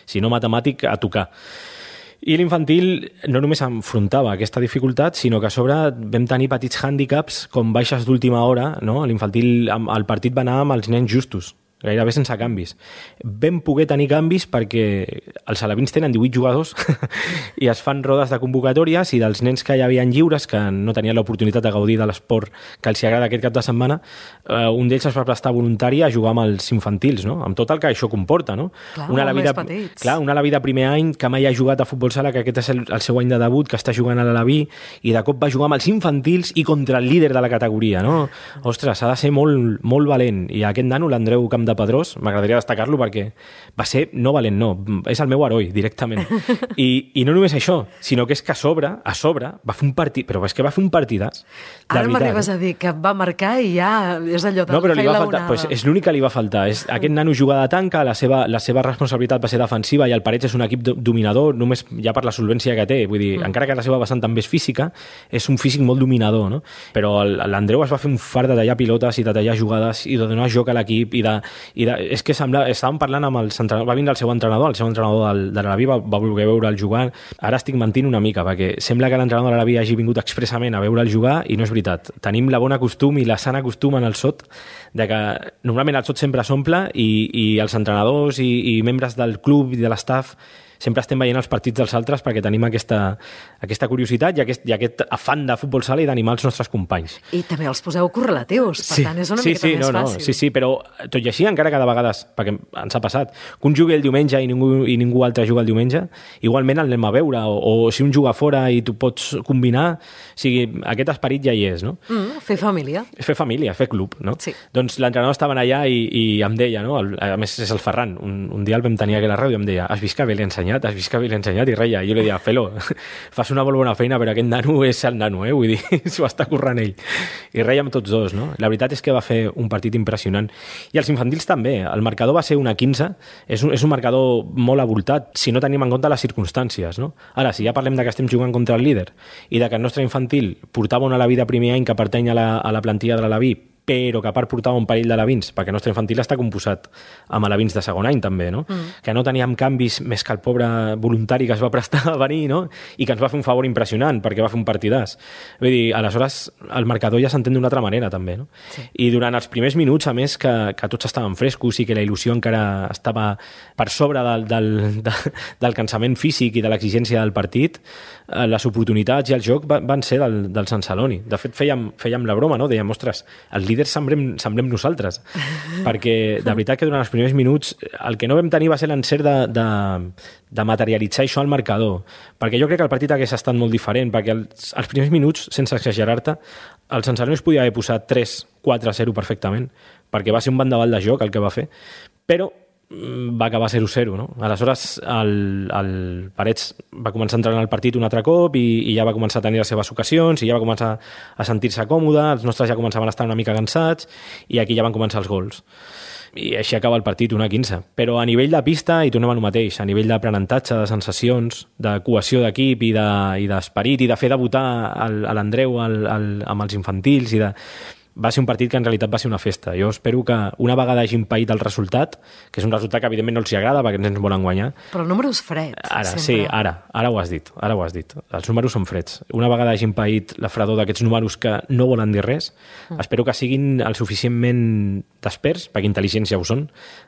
si no matemàtic, a tocar. I l'Infantil no només enfrontava aquesta dificultat, sinó que a sobre vam tenir petits hàndicaps com baixes d'última hora, no? L'Infantil, el partit va anar amb els nens justos, gairebé sense canvis. Vam poder tenir canvis perquè els alevins tenen 18 jugadors i es fan rodes de convocatòries, i dels nens que hi havia lliures, que no tenien l'oportunitat de gaudir de l'esport que els agrada aquest cap de setmana, un d'ells es va prestar voluntari a jugar amb els infantils, no? Amb tot el que això comporta, no? Clar, un aleví de primer any que mai ha jugat a futbol sala, que aquest és el seu any de debut, que està jugant a l'Aleví, i de cop va jugar amb els infantils i contra el líder de la categoria, no? Ostres, ha de ser molt valent. I aquest nano, l'Andreu Camp de Pedrós, m'agradaria destacar-lo perquè va ser, no valent, no, és el meu heroi directament. I no només això, sinó que és que a sobre va fer un partit, però és que va fer un partidàs. Ara m'arribes a dir que va marcar i ja és allò de però li va faltar, pues és l'únic que li va faltar. Aquest nano juga de tanca, la seva responsabilitat va ser defensiva, i el Parets és un equip dominador, només ja per la solvència que té, vull dir, encara que la seva vessant també és física, és un físic molt dominador, no? Però l'Andreu es va fer un fart de tallar pilotes i de tallar jugades i de donar joc a l'equip és que estàvem parlant amb els entrenadors, va vindre el seu entrenador de l'Alaví va voler veure'l jugar. Ara estic mentint una mica, perquè sembla que l'entrenador de l'Alaví hagi vingut expressament a veure'l jugar, i no és veritat. Tenim la bona costum i la sana costum en el SOT de que normalment el SOT sempre s'omple, i els entrenadors i membres del club i de l'estaf sempre estem veient els partits dels altres perquè tenim aquesta curiositat i aquest afant de futbol sala i d'animar els nostres companys. I també els poseu correlatius, per tant és una miqueta més fàcil. Sí, però tot i així, encara que de vegades, perquè ens ha passat, que un jugui el diumenge i ningú altre juga el diumenge, igualment el anem a veure, o si un juga fora i tu pots combinar, o sigui, aquest esperit ja hi és, no? Fer família. Fer família, fer club, no? Sí. Doncs l'entrenador estava allà i em deia, no? A més és el Ferran, un dia el vam tenir aquí a la ràdio i em deia, has vist que bé l'he ensenyat, i reia. Jo li deia, Felo, fas una molt bona feina, però aquest nano és el nano, vull dir, s'ho està currant ell. I reia amb tots dos, no? La veritat és que va fer un partit impressionant. I els infantils també. El marcador va ser 1-15, és un marcador molt avoltat, si no tenim en compte les circumstàncies, no? Ara, si ja parlem de que estem jugant contra el líder i de que el nostre infantil portava un Alaví de primer any que pertany a la plantilla de l'Alaví, però que a part portava un parell d'alevins, perquè el nostre infantil està composat amb alevins de segon any també, no? Que no teníem canvis més que el pobre voluntari que es va prestar a venir, no? I que ens va fer un favor impressionant perquè va fer un partidàs. Vull dir, aleshores el marcador ja s'entén d'una altra manera també, no? Sí. I durant els primers minuts, a més, que tots estaven frescos i que la il·lusió encara estava per sobre del cansament físic i de l'exigència del partit, les oportunitats i el joc van ser del Sant Celoni. De fet, fèiem la broma, no? Dèiem, ostres, els líders semblem nosaltres, perquè de veritat que durant els primers minuts el que no vam tenir va ser l'encert de materialitzar això al marcador, perquè jo crec que el partit hagués estat molt diferent, perquè els primers minuts, sense exagerar-te, el Sant Celoni es podia haver posat 3-4-0 perfectament, perquè va ser un bandaval de joc el que va fer, però va acabar 0-0, no? Aleshores el Parets va començar a entrar en el partit un altre cop i ja va començar a tenir les seves ocasions i ja va començar a sentir-se còmode, els nostres ja començaven a estar una mica cansats i aquí ja van començar els gols. I així acaba el partit 1-15. Però a nivell de pista, i tornem al mateix, a nivell d'aprenentatge, de sensacions, de cohesió d'equip i d'esperit i de fer debutar l'Andreu amb els infantils va ser un partit que en realitat va ser una festa. Jo espero que una vegada hagin paït el resultat, que és un resultat que evidentment no els agrada perquè ens volen guanyar. Però el número és fred. Ara ho has dit. Els números són freds. Una vegada hagin paït la fredor d'aquests números que no volen dir res, espero que siguin el suficientment desperts, perquè intel·ligència ho són,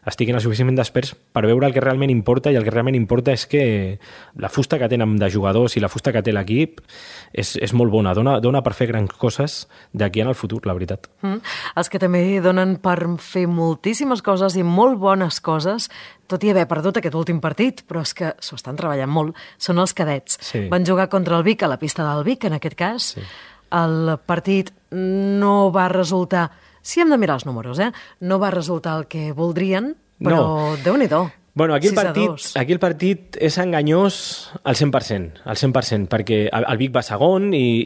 estiguin el suficientment desperts per veure el que realment importa, i el que realment importa és que la fusta que tenen de jugadors i la fusta que té l'equip és molt bona, dona per fer grans coses d'aquí en el futur, la veritat. Els que també donen per fer moltíssimes coses i molt bones coses, tot i haver perdut aquest últim partit, però és que s'ho estan treballant molt, són els cadets. Sí. Van jugar contra el Vic a la pista del Vic, en aquest cas. Sí. El partit no va resultar, si hem de mirar els números, no va resultar el que voldrien, Però Déu-n'hi-do. Bueno, aquí el partit és enganyós al 100%, perquè el Vic va segon i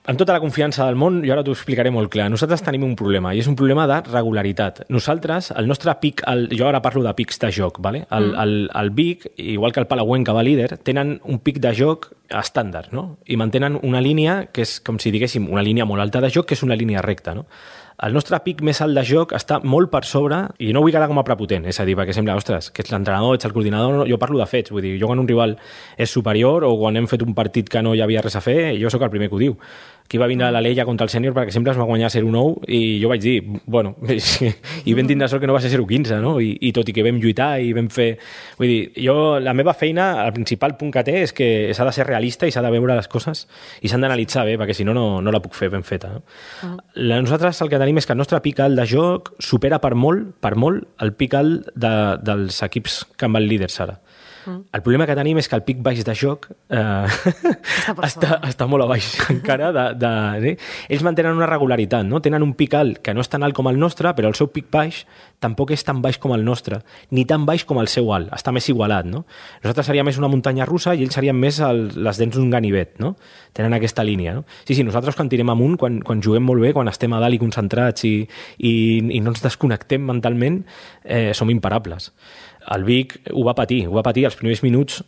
amb tota la confiança del món, jo ara t'ho explicaré molt clar, nosaltres tenim un problema, i és un problema de regularitat. Nosaltres, el nostre pic, jo ara parlo de pics de joc, ¿vale? El Vic, igual que el Palauenc, que va líder, tenen un pic de joc estàndard, no? I mantenen una línia que és com si diguéssim una línia molt alta de joc, que és una línia recta, no? El nostre pic més alt de joc està molt per sobre, i no vull quedar com a prepotent, és a dir, perquè sembla, ostres, que ets l'entrenador, ets el coordinador, jo parlo de fets, vull dir, jo quan un rival és superior o quan hem fet un partit que no hi havia res a fer, jo sóc el primer que ho diu. Aquí va vindre la Leia contra el sènior perquè sempre es va guanyar 0-9 i jo vaig dir, bueno, i vam tindre sort que no va ser 0-15, no? I tot i que vam lluitar i vam fer... Vull dir, la meva feina, el principal punt que té és que s'ha de ser realista i s'ha de veure les coses i s'han d'analitzar bé, perquè si no, no la puc fer ben feta. No? Nosaltres el que tenim és que el nostre pic alt de joc supera per molt, el pic alt dels equips que en van líders ara. El problema que tenim és que el pic baix de joc està molt a baix encara. Ells mantenen una regularitat, no? Tenen un pic alt que no és tan alt com el nostre, però el seu pic baix tampoc és tan baix com el nostre, ni tan baix com el seu alt, està més igualat. No? Nosaltres seríem més una muntanya russa i ells serien més les dents d'un ganivet. No? Tenen aquesta línia. No? Sí, nosaltres quan tirem amunt, quan juguem molt bé, quan estem a dalt i concentrats i no ens desconnectem mentalment, som imparables. El Vic ho va patir els primers minuts.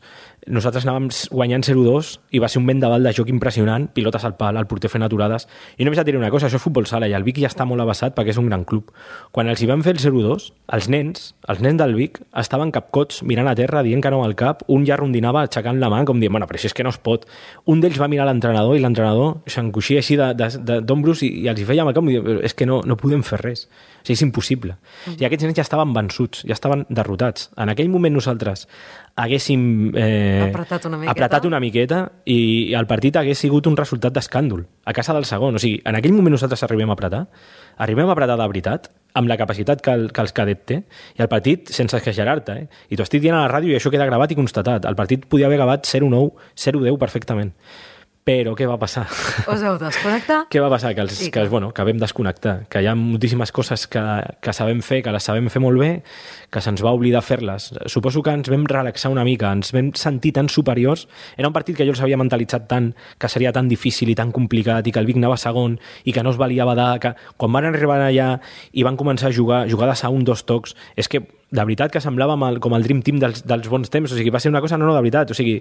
Nosaltres anàvem guanyant 0-2 i va ser un vendaval de joc impressionant, pilotes al pal, el porter fent aturades. I només et diré una cosa, això és futbol sala i el Vic ja està molt avançat perquè és un gran club. Quan els hi van fer el 0-2, els nens del Vic estaven capcots mirant a terra, dient que no al cap, un ja rondinava aixecant la mà com dient, bueno, però si és que no es pot. Un d'ells va mirar l'entrenador i l'entrenador s'encoixia així d'ombros i els hi feia amb el cap i diu, és que no podem fer res. O sigui, és impossible. I aquests nens ja estaven vençuts, ja estaven derrotats. En aquell moment nosaltres haguéssim apretat una miqueta i el partit hagués sigut un resultat d'escàndol a casa del segon. O sigui, en aquell moment nosaltres arribem a apretar de veritat, amb la capacitat que els cadet té, i el partit, sense exagerar-te, I t'ho estic dient a la ràdio i això queda gravat i constatat, el partit podia haver acabat 0-9, 0-10 perfectament. Però què va passar? Us heu desconnectat? Què va passar? Que vam desconnectar, que hi ha moltíssimes coses que sabem fer, que les sabem fer molt bé, que se'ns va oblidar fer-les. Suposo que ens vam relaxar una mica, ens vam sentir tan superiors. Era un partit que jo els havia mentalitzat tant, que seria tan difícil i tan complicat, i que el Vic anava segon, i que no es valia badar, que quan van arribar allà i van començar a jugar jugades a 1-2 tocs, és que de veritat que semblava com el Dream Team dels bons temps, o sigui, va ser una cosa no de veritat, o sigui,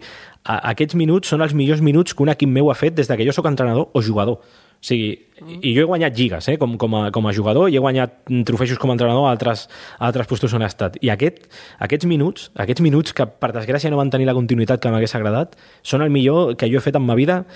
aquests minuts són els millors minuts que un equip meu ha fet des que jo sóc entrenador o jugador. O sigui, i jo he guanyat lligues com a jugador i he guanyat trofeus com a entrenador a altres postos on he estat. I aquests minuts que per desgràcia no van tenir la continuïtat que m'hagués agradat, són el millor que jo he fet en ma vida,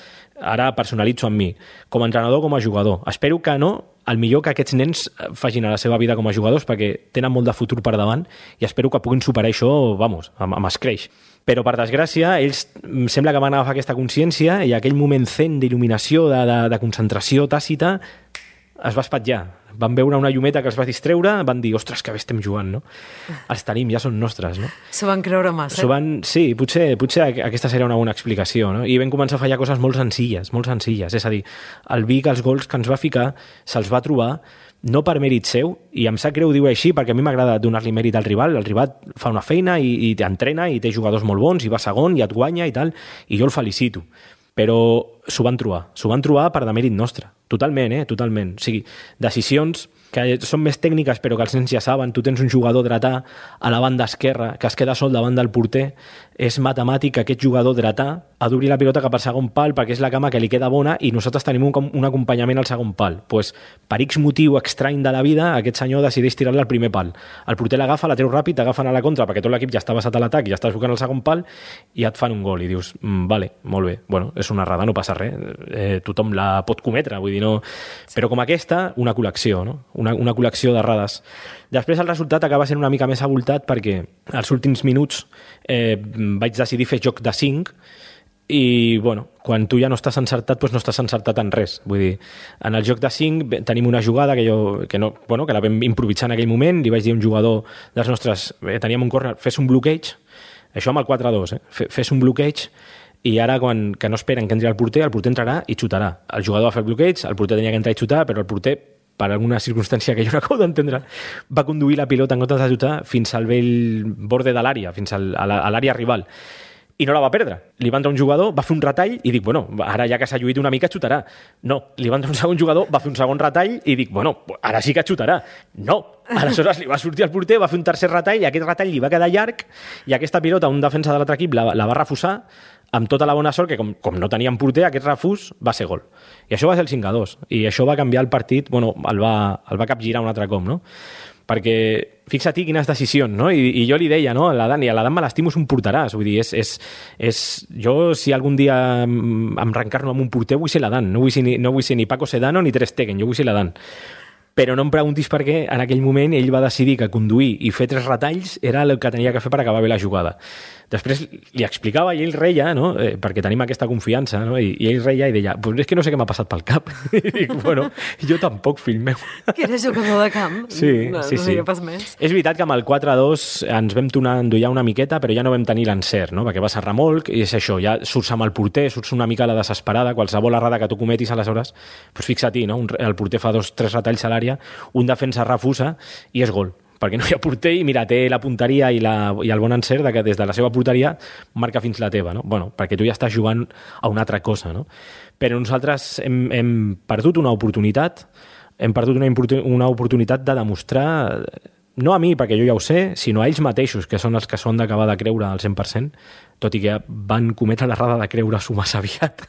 ara personalitzo en mi, com a entrenador o com a jugador. Espero que no, el millor que aquests nens facin a la seva vida com a jugadors, perquè tenen molt de futur per davant i espero que puguin superar això, amb escreix. Però, per desgràcia, ells sembla que van agafar aquesta consciència i aquell moment zen d'il·luminació, de concentració tàcita, es va espatllar. Van veure una llumeta que els va distreure, van dir, ostres, que bé estem jugant, no? Els tenim, ja són nostres, no? S'ho van creure massa. Sí, potser aquesta seria una bona explicació, no? I vam començar a fallar coses molt senzilles, és a dir, el Vic, els gols que ens va ficar, se'ls va trobar no per mèrit seu, i em sap greu dir-ho així perquè a mi m'agrada donar-li mèrit al rival. El rival fa una feina i t'entrena i té jugadors molt bons i va segon i et guanya i tal, i jo el felicito. Però s'ho van trobar per demèrit nostre. Totalment, totalment. O sigui, decisions que són més tècniques però que els nens ja saben. Tu tens un jugador dretà a la banda esquerra que es queda sol davant del porter. És matemàtic que aquest jugador dretà ha d'obrir la pilota cap al segon pal perquè és la cama que li queda bona i nosaltres tenim un acompanyament al segon pal. Pues, per X motiu estrany de la vida, aquest senyor decideix tirar-la al primer pal. El porter l'agafa, la treu ràpid, t'agafen a la contra perquè tot l'equip ja està basat a l'atac i ja estàs buscant el segon pal i et fan un gol i dius, vale, molt bé, bueno, és una errada, no passa res, tothom la pot cometre, vull dir, no... Però com aquesta, una col·lecció, no? Una col·lecció d'errades. Després el resultat acaba sent una mica més avoltat perquè als últims minuts vaig decidir fer joc de 5 i, bueno, quan tu ja no estàs encertat, doncs no estàs encertat en res. Vull dir, en el joc de 5 tenim una jugada que la vam improvisar en aquell moment, li vaig dir a un jugador dels nostres, teníem un córner, fes un bloqueig, això amb el 4-2, fes un bloqueig, i ara que no esperen que entri el porter entrarà i xutarà. El jugador va fer el bloqueig, el porter tenia que entrar i xutar, però el porter per alguna circumstància que jo no acabo d'entendre, va conduir la pilota en comptes de xutar fins al vell borde de l'àrea, fins a l'àrea rival. I no la va perdre. Li va entrar un jugador, va fer un retall i dic, bueno, ara ja que s'ha lluït una mica, xutarà. No, li va entrar un segon jugador, va fer un segon retall i dic, bueno, ara sí que xutarà. No, aleshores li va sortir al porter, va fer un tercer retall i aquest retall li va quedar llarg i aquesta pilota, un defensa de l'altre equip, la va refusar amb tota la bona sort que com no tenien porter, aquest refús va ser gol. I això va ser el 5-2. I això va canviar el partit, bueno, el va capgirar un altre cop, no? Perquè fixa't quines decisions, no? I jo li deia, no? A l'Adam me l'estimo, és un porteràs. Vull dir, jo, si algun dia em reencarno amb un porter, vull ser l'Adam. No vull ser ni Paco Sedano ni Ter Stegen, jo vull ser l'Adam. Però no em preguntis per què en aquell moment ell va decidir que conduir i fer 3 retalls era el que tenia que fer per acabar bé la jugada. Després li explicava i ell reia, no? Perquè tenim aquesta confiança, no? I ell reia i deia, pues és que no sé què m'ha passat pel cap. I dic, bueno, jo tampoc, fill meu. Que eres jugador de camp. Sí. No sé què pas més. És veritat que amb el 4-2 ens vam endollar una miqueta, però ja no vam tenir l'encert, no? Perquè vas a remolc i és això, ja surts amb el porter, surts una mica a la desesperada, qualsevol errada que tu cometis aleshores, doncs fixa-t'hi, no? El porter fa 2-3 retalls a l'àrea, un defensa refusa i és gol. Perquè no hi ha porter i mira, té la punteria i el bon encert que des de la seva porteria marca fins la teva, no? Bueno, perquè tu ja estàs jugant a una altra cosa, no? Però nosaltres hem perdut una oportunitat, una oportunitat de demostrar, no a mi, perquè jo ja ho sé, sinó a ells mateixos, que són els que són d'acabar de creure al 100%, tot i que van cometre l'errada de creure-s'ho massa aviat.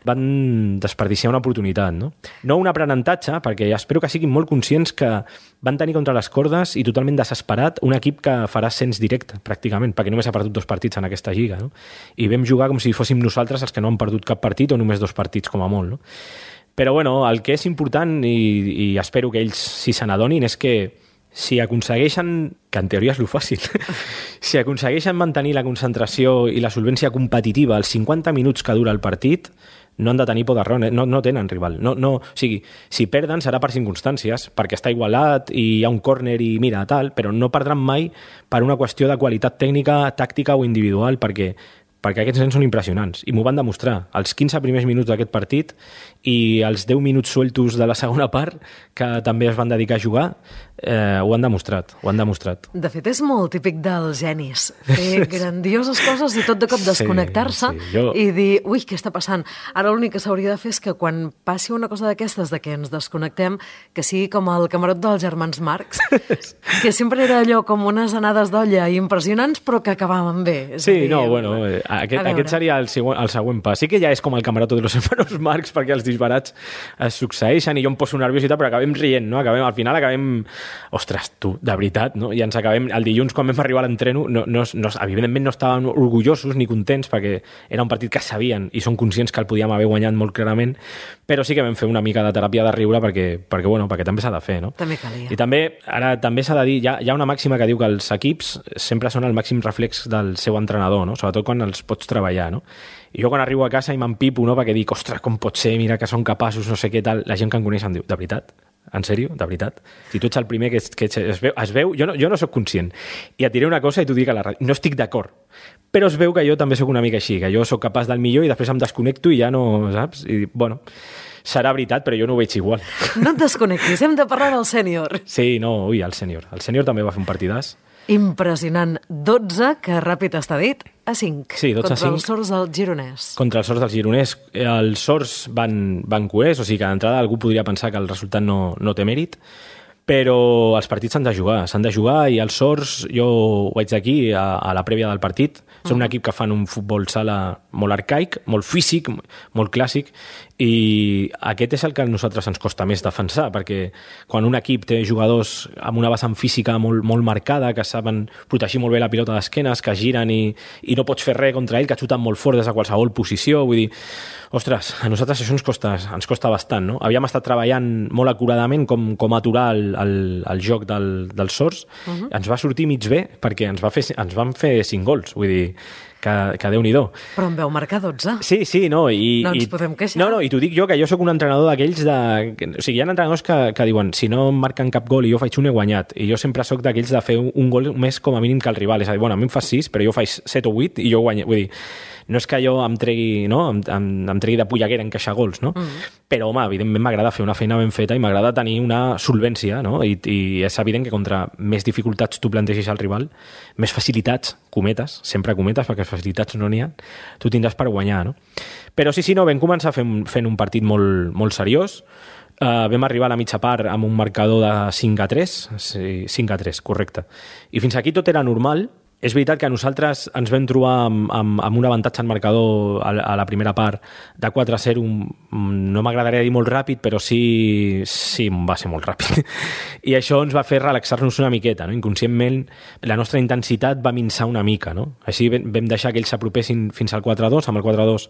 Van desperdiciar una oportunitat, no? No un aprenentatge, perquè espero que siguin molt conscients que van tenir contra les cordes i totalment desesperat un equip que farà ascens directe, pràcticament, perquè només ha perdut 2 partits en aquesta lliga, no? I vam jugar com si fóssim nosaltres els que no han perdut cap partit o només 2 partits, com a molt, no? Però, bueno, el que és important, i espero que ells si se n'adonin, és que si aconsegueixen, que en teoria és lo fàcil, si aconsegueixen mantenir la concentració i la solvència competitiva als 50 minuts que dura el partit, no han de tenir por d'error, no tenen rival. O sigui, si perden serà per circumstàncies, perquè està igualat i hi ha un córner i mira, tal, però no perdran mai per una qüestió de qualitat tècnica, tàctica o individual, perquè aquests nens són impressionants i m'ho van demostrar. Els 15 primers minuts d'aquest partit i els 10 minuts sueltos de la segona part, que també es van dedicar a jugar, ho han demostrat. De fet, és molt típic dels genis, fer grandioses coses i tot de cop desconnectar-se i dir, ui, què està passant? Ara l'únic que s'hauria de fer és que quan passi una cosa d'aquestes, de que ens desconnectem, que sigui com el camarot dels germans Marx, que sempre era allò com unes anades d'olla impressionants, però que acabaven bé. Sí, no, bueno, aquest seria el següent pas. Sí que ja és com el camarot de los hermanos Marx, perquè els disbarats es succeeixen i jo em poso nerviós i tal, però acabem rient, no? Al final acabem... Ostres, tu, de veritat, no? I ens acabem... El dilluns, quan vam arribar a l'entreno, evidentment no estàvem orgullosos ni contents, perquè era un partit que sabien i són conscients que el podíem haver guanyat molt clarament, però sí que vam fer una mica de teràpia de riure perquè també s'ha de fer, no? També calia. I també s'ha de dir, hi ha una màxima que diu que els equips sempre són el màxim reflex del seu entrenador, no? Sobretot quan els pots treballar, no? I jo quan arribo a casa i m'empipo, no? Perquè dic, ostres, com pot ser, mira que són capaços, no sé què tal, la gent que em coneix em diu, de veritat? En sèrio? De veritat? Si tu ets el primer que es veu, jo no sóc conscient. I et diré una cosa i t'ho dic a la ràdio. No estic d'acord. Però es veu que jo també sóc una mica així, que jo sóc capaç del millor i després em desconnecto i ja no, saps? I, bueno, serà veritat, però jo no ho veig igual. No et desconnectis, hem de parlar del sènior. Sí, no, ui, el sènior. El sènior també va fer un partidàs. Impressionant. 12, que ràpid està dit, a 5. Sí, 12 a 5. Contra els sords del Gironès. Contra els sords del Gironès. Els sords van coers, o sigui que d'entrada algú podria pensar que el resultat no té mèrit, però els partits s'han de jugar i els sords, jo ho vaig dir aquí a la prèvia del partit, són un equip que fan un futbol sala molt arcaic, molt físic, molt clàssic, i aquest és el que a nosaltres ens costa més defensar, perquè quan un equip té jugadors amb una vessant física molt marcada, que saben protegir molt bé la pilota d'esquenes, que giren i no pots fer res contra ell, que xuten molt fort des de qualsevol posició, vull dir, ostres, a nosaltres això ens costa bastant, no? Havíem estat treballant molt acuradament com aturar el joc dels sords, ens va sortir mig bé perquè ens van fer 5 gols, vull dir, que Déu-n'hi-do. Però em veu marcar 12. Sí, no. No ens podem queixar. No, i t'ho dic jo, que jo sóc un entrenador d'aquells o sigui, hi ha entrenadors que diuen, si no em marquen cap gol i jo faig un, he guanyat. I jo sempre sóc d'aquells de fer un gol més com a mínim que el rival. És a dir, bueno, a mi em fas 6, però jo faig 7 o 8 i jo guanyo. Vull dir, no és que jo em tregui, no? em tregui de polleguera encaixar gols, no? Però, home, evidentment m'agrada fer una feina ben feta i m'agrada tenir una solvència, no? I és evident que contra més dificultats tu plantegis al rival, més facilitats, cometes, sempre cometes, perquè facilitats no n'hi ha, tu tindràs per guanyar, no? Però sí, no, vam començar fent un partit molt, molt seriós. Vam arribar a la mitja part amb un marcador de 5-3, sí, 5-3, correcte. I fins aquí tot era normal. És veritat que nosaltres ens vam trobar amb un avantatge en marcador a la primera part de 4-0, no m'agradaria dir molt ràpid, però sí va ser molt ràpid. I això ens va fer relaxar-nos una miqueta, no? Inconscientment la nostra intensitat va minçar una mica, no? Així vam deixar que ells s'apropessin fins al 4-2, amb el 4-2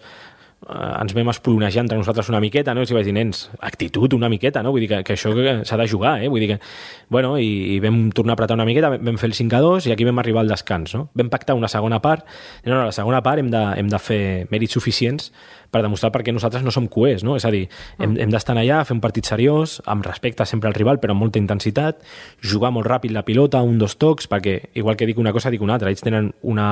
ens vam espolonejar entre nosaltres una miqueta, no? I vaig dir, nens, actitud una miqueta, no? Vull dir que això s'ha de jugar, Vull dir que, bueno, i vam tornar a apretar una miqueta, vam fer el 5-2 i aquí vam arribar al descans, no? Vam pactar una segona part, no, la segona part hem de fer mèrits suficients per demostrar perquè nosaltres no som coers, no? És a dir, hem d'estar allà, fer un partit seriós, amb respecte sempre al rival, però amb molta intensitat, jugar molt ràpid la pilota, 1-2 tocs, perquè igual que dic una cosa, dic una altra. Ells tenen una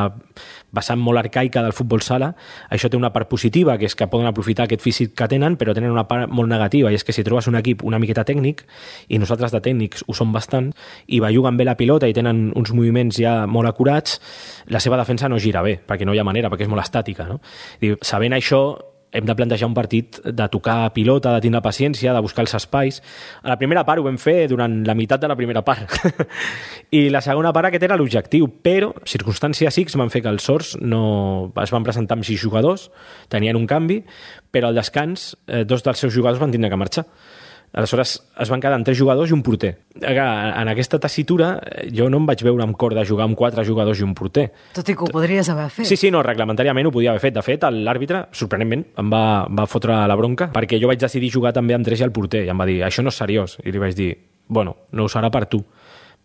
vessant molt arcaica del futbol sala, això té una part positiva, que és que poden aprofitar aquest físic que tenen, però tenen una part molt negativa, i és que si trobes un equip una miqueta tècnic, i nosaltres de tècnics ho som bastant, i belluguen bé la pilota i tenen uns moviments ja molt acurats, la seva defensa no gira bé, perquè no hi ha manera, perquè és molt estàtica, no? Sabent això, hem de plantejar un partit de tocar pilota, de tindre paciència, de buscar els espais. A la primera part ho vam fer durant la meitat de la primera part. I la segona part aquest era l'objectiu, però circumstàncies X van fer que els Sords no es van presentar amb 6 jugadors, tenien un canvi, però al descans 2 dels seus jugadors van tindre que marxar. Aleshores es van quedar amb 3 jugadors i un porter. En aquesta tessitura jo no em vaig veure amb cor de jugar amb 4 jugadors i un porter. Tot i que ho podries haver fet. Sí, no, reglamentàriament ho podia haver fet. De fet, l'àrbitre, sorprenentment, em va fotre la bronca perquè jo vaig decidir jugar també amb 3 i el porter i em va dir, això no és seriós. I li vaig dir, bueno, no ho serà per tu,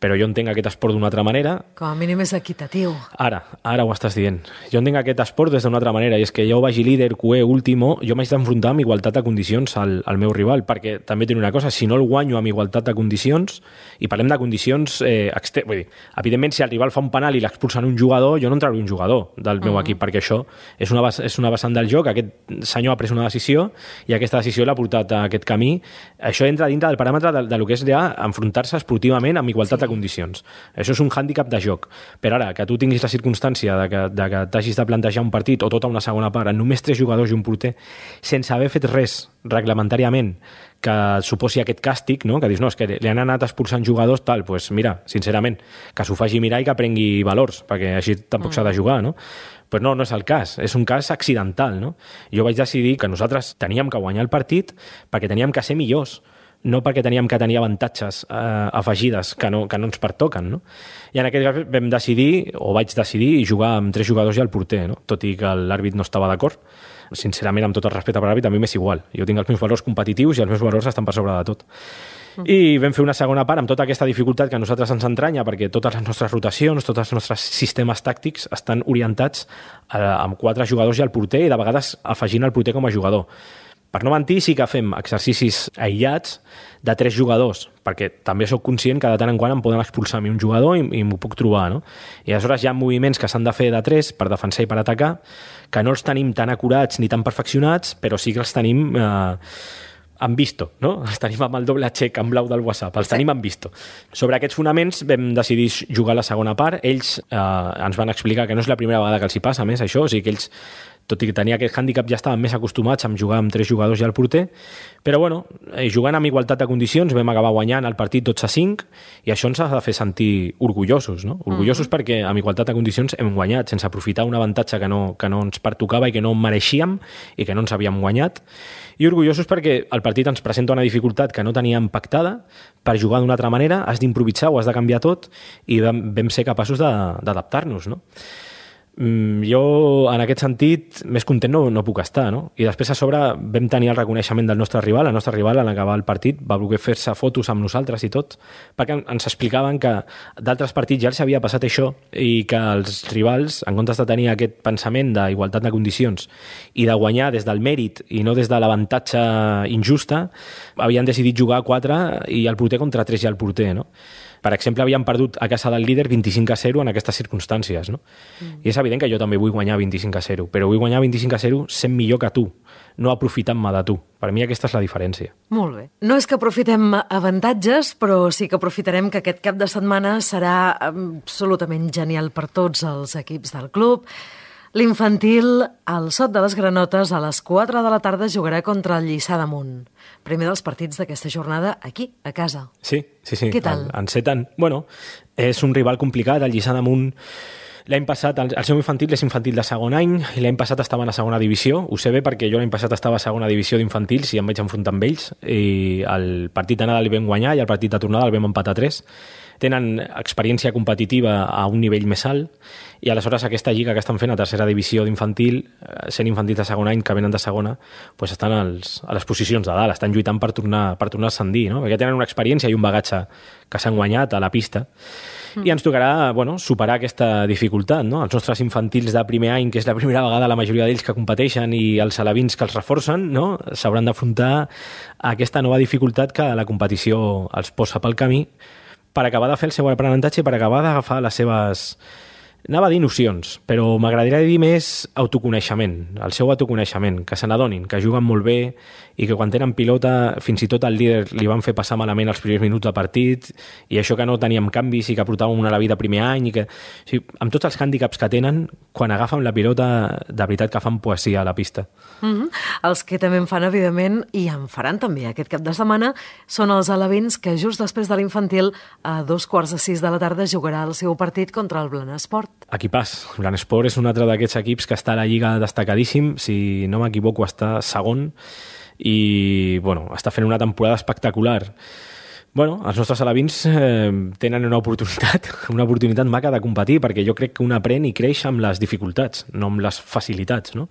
però jo entenc aquest esport d'una altra manera. Com a mínim és equitatiu. Ara ho estàs dient. Jo entenc aquest esport des d'una altra manera, i és que jo vagi líder, QE, último, jo m'haig d'enfrontar amb igualtat de condicions al meu rival, perquè també tinc una cosa, si no el guanyo amb igualtat de condicions, i parlem de condicions vull dir, evidentment, si el rival fa un penal i l'expulsen un jugador, jo no en trauré un jugador del meu equip, perquè això és una vessant del joc, aquest senyor ha pres una decisió, i aquesta decisió l'ha portat a aquest camí. Això entra dintre del paràmetre del que és ja enfrontar-se esportivament amb igualtat de condicions. Això és un hàndicap de joc. Però ara, que tu tinguis la circumstància de que t'hagis de plantejar un partit o tota una segona part amb només 3 jugadors i un porter, sense haver fet res reglamentàriament que suposi aquest càstig, no? Que dius, no, és que li han anat expulsant jugadors, tal, doncs mira, sincerament, que s'ho faci mirar i que prengui valors, perquè així tampoc s'ha de jugar, no? Però no és el cas, és un cas accidental, no? Jo vaig decidir que nosaltres teníem que guanyar el partit perquè teníem que ser millors, no perquè teníem que tenir avantatges afegides que no ens pertoquen, no? I en aquest cas vam decidir, o vaig decidir, jugar amb 3 jugadors i el porter, no? Tot i que l'àrbit no estava d'acord. Sincerament, amb tot el respecte per l'àrbit, a mi m'és igual. Jo tinc els meus valors competitius i els meus valors estan per sobre de tot. I vam fer una segona part amb tota aquesta dificultat que a nosaltres ens entranya, perquè totes les nostres rotacions, tots els nostres sistemes tàctics estan orientats amb 4 jugadors i el porter, i de vegades afegint el porter com a jugador. Per no mentir, sí que fem exercicis aïllats de 3 jugadors, perquè també sóc conscient que de tant en quant em poden expulsar a mi un jugador i m'ho puc trobar, no? I aleshores hi ha moviments que s'han de fer de 3 per defensar i per atacar, que no els tenim tan acurats ni tan perfeccionats, però sí que els tenim en visto, no? Els tenim amb el doble xec en blau del WhatsApp, els tenim en visto. Sobre aquests fonaments vam decidir jugar la segona part. Ells ens van explicar que no és la primera vegada que els hi passa, més això, o sigui que ells, tot i que tenia aquest hàndicap, ja estaven més acostumats a jugar amb 3 jugadors i el porter, però bueno, jugant amb igualtat de condicions vam acabar guanyant el partit 12-5, i això ens ha de fer sentir orgullosos, no? Orgullosos perquè amb igualtat de condicions hem guanyat, sense aprofitar un avantatge que no ens pertocava i que no mereixíem i que no ens havíem guanyat, i orgullosos perquè el partit ens presenta una dificultat que no teníem pactada. Per jugar d'una altra manera has d'improvisar, ho has de canviar tot, i vam ser capaços d'adaptar-nos, no? Jo, en aquest sentit, més content no puc estar, no? I després, a sobre, vam tenir el reconeixement del nostre rival. El nostre rival, en acabar el partit, va voler fer-se fotos amb nosaltres i tot, perquè ens explicaven que d'altres partits ja els havia passat això, i que els rivals, en comptes de tenir aquest pensament d'igualtat de condicions i de guanyar des del mèrit i no des de l'avantatge injusta, havien decidit jugar a 4 i el porter contra 3 i el porter, no? Per exemple, havíem perdut a casa del líder 25-0 en aquestes circumstàncies, no? I és evident que jo també vull guanyar 25-0, però vull guanyar 25-0 sent millor que tu, no aprofitant-me de tu. Per mi aquesta és la diferència. Molt bé. No és que aprofitem avantatges, però sí que aprofitarem que aquest cap de setmana serà absolutament genial per tots els equips del club. L'infantil, al Sot de les Granotes, a les 4 de la tarda jugarà contra el Lliçà d'Amunt. Primer dels partits d'aquesta jornada aquí, a casa. Sí. Què tal? Enceten. Bueno, és un rival complicat, el Lliçà d'Amunt. L'any passat, el seu infantil és infantil de segon any, i l'any passat estaven a segona divisió. Ho sé bé perquè jo l'any passat estava a segona divisió d'infantils i em vaig enfrontar amb ells, i el partit d'anada el vam guanyar i el partit de tornada el vam empatar 3. Tenen experiència competitiva a un nivell més alt, i aleshores aquesta lliga que estan fent a tercera divisió d'infantil, sent infantils de segon any que venen de segona, doncs estan a les posicions de dalt, estan lluitant per tornar a ascendir, no? Perquè tenen una experiència i un bagatge que s'han guanyat a la pista. I ens tocarà superar aquesta dificultat, no? Els nostres infantils de primer any, que és la primera vegada la majoria d'ells que competeixen, i els alevins que els reforcen, no? S'hauran d'afrontar a aquesta nova dificultat que la competició els posa pel camí per acabar de fer el seu aprenentatge i per acabar d'agafar les seves... Anava a dir nocions, però m'agradaria dir més autoconeixement, el seu autoconeixement, que se n'adonin, que juguen molt bé i que quan tenen pilota, fins i tot el líder li van fer passar malament els primers minuts de partit, i això que no teníem canvis i que portàvem una a la vida primer any, i que, o sigui, amb tots els hàndicaps que tenen, quan agafen la pilota, de veritat que fan poesia a la pista. Els que també en fan, evidentment, i en faran també aquest cap de setmana, són els alevins que just després de l'infantil, a 5:45 de la tarda, jugarà el seu partit contra el Blanesport. Equipàs. Blanesport és un altre d'aquests equips que està a la Lliga destacadíssim, si no m'equivoco està segon, i està fent una temporada espectacular. Els nostres alevins tenen una oportunitat maca de competir, perquè jo crec que un aprèn i creix amb les dificultats, no amb les facilitats, no?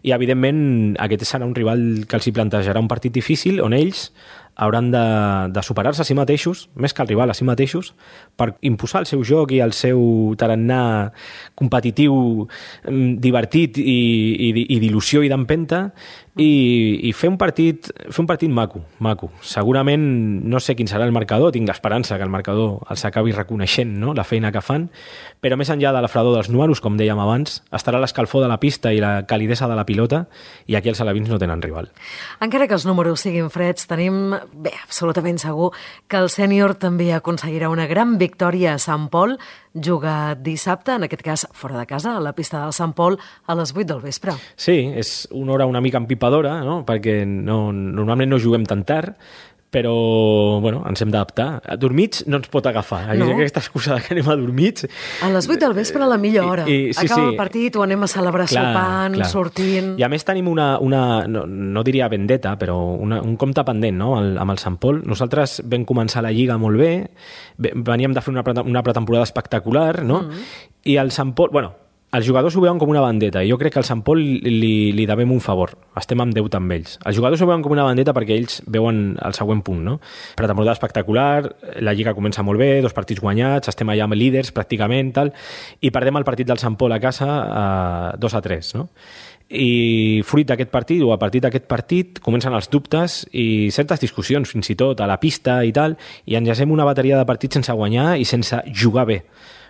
I evidentment aquest serà un rival que els hi plantejarà un partit difícil, on ells hauran de superar-se a si mateixos, més que el rival, a si mateixos, per imposar el seu joc i el seu tarannà competitiu, divertit i d'il·lusió i d'empenta, i fer un partit maco. Segurament no sé quin serà el marcador, tinc l'esperança que el marcador els acabi reconeixent, no?, la feina que fan, però més enllà de la fredor dels números, com dèiem abans, estarà l'escalfor de la pista i la calidesa de la pilota, i aquí els alevins no tenen rival. Encara que els números siguin freds, tenim absolutament segur que el sènior també aconseguirà una gran victòria a Sant Pol. Juga dissabte, en aquest cas fora de casa, a la pista del Sant Pol, a les 8 del vespre. Sí, és una hora una mica empipadora, no?, perquè normalment no juguem tan tard, però ens hem d'adaptar. Dormits no ens pot agafar. No. Aquesta excusa que anem a dormits... A les 8 del vespre, a la millor hora. Acaba el partit, o anem a celebrar sopant, sortint... I a més tenim una no diria vendetta, però un compte pendent, no?, amb el Sant Pol. Nosaltres vam començar la Lliga molt bé, veníem de fer una pretemporada espectacular, no? I el Sant Pol... Els jugadors ho veuen com una vendetta, i jo crec que al Sant Pol li devem un favor. Estem en deute amb ells. Els jugadors ho veuen com una vendetta perquè ells veuen el següent punt, no? Pretemporada espectacular, la Lliga comença molt bé, 2 partits guanyats, estem allà amb líders pràcticament, i perdem el partit del Sant Pol a casa 2-3, no? I fruit d'aquest partit, o a partir d'aquest partit, comencen els dubtes i certes discussions, fins i tot a la pista i tal, i enllacem una bateria de partits sense guanyar i sense jugar bé.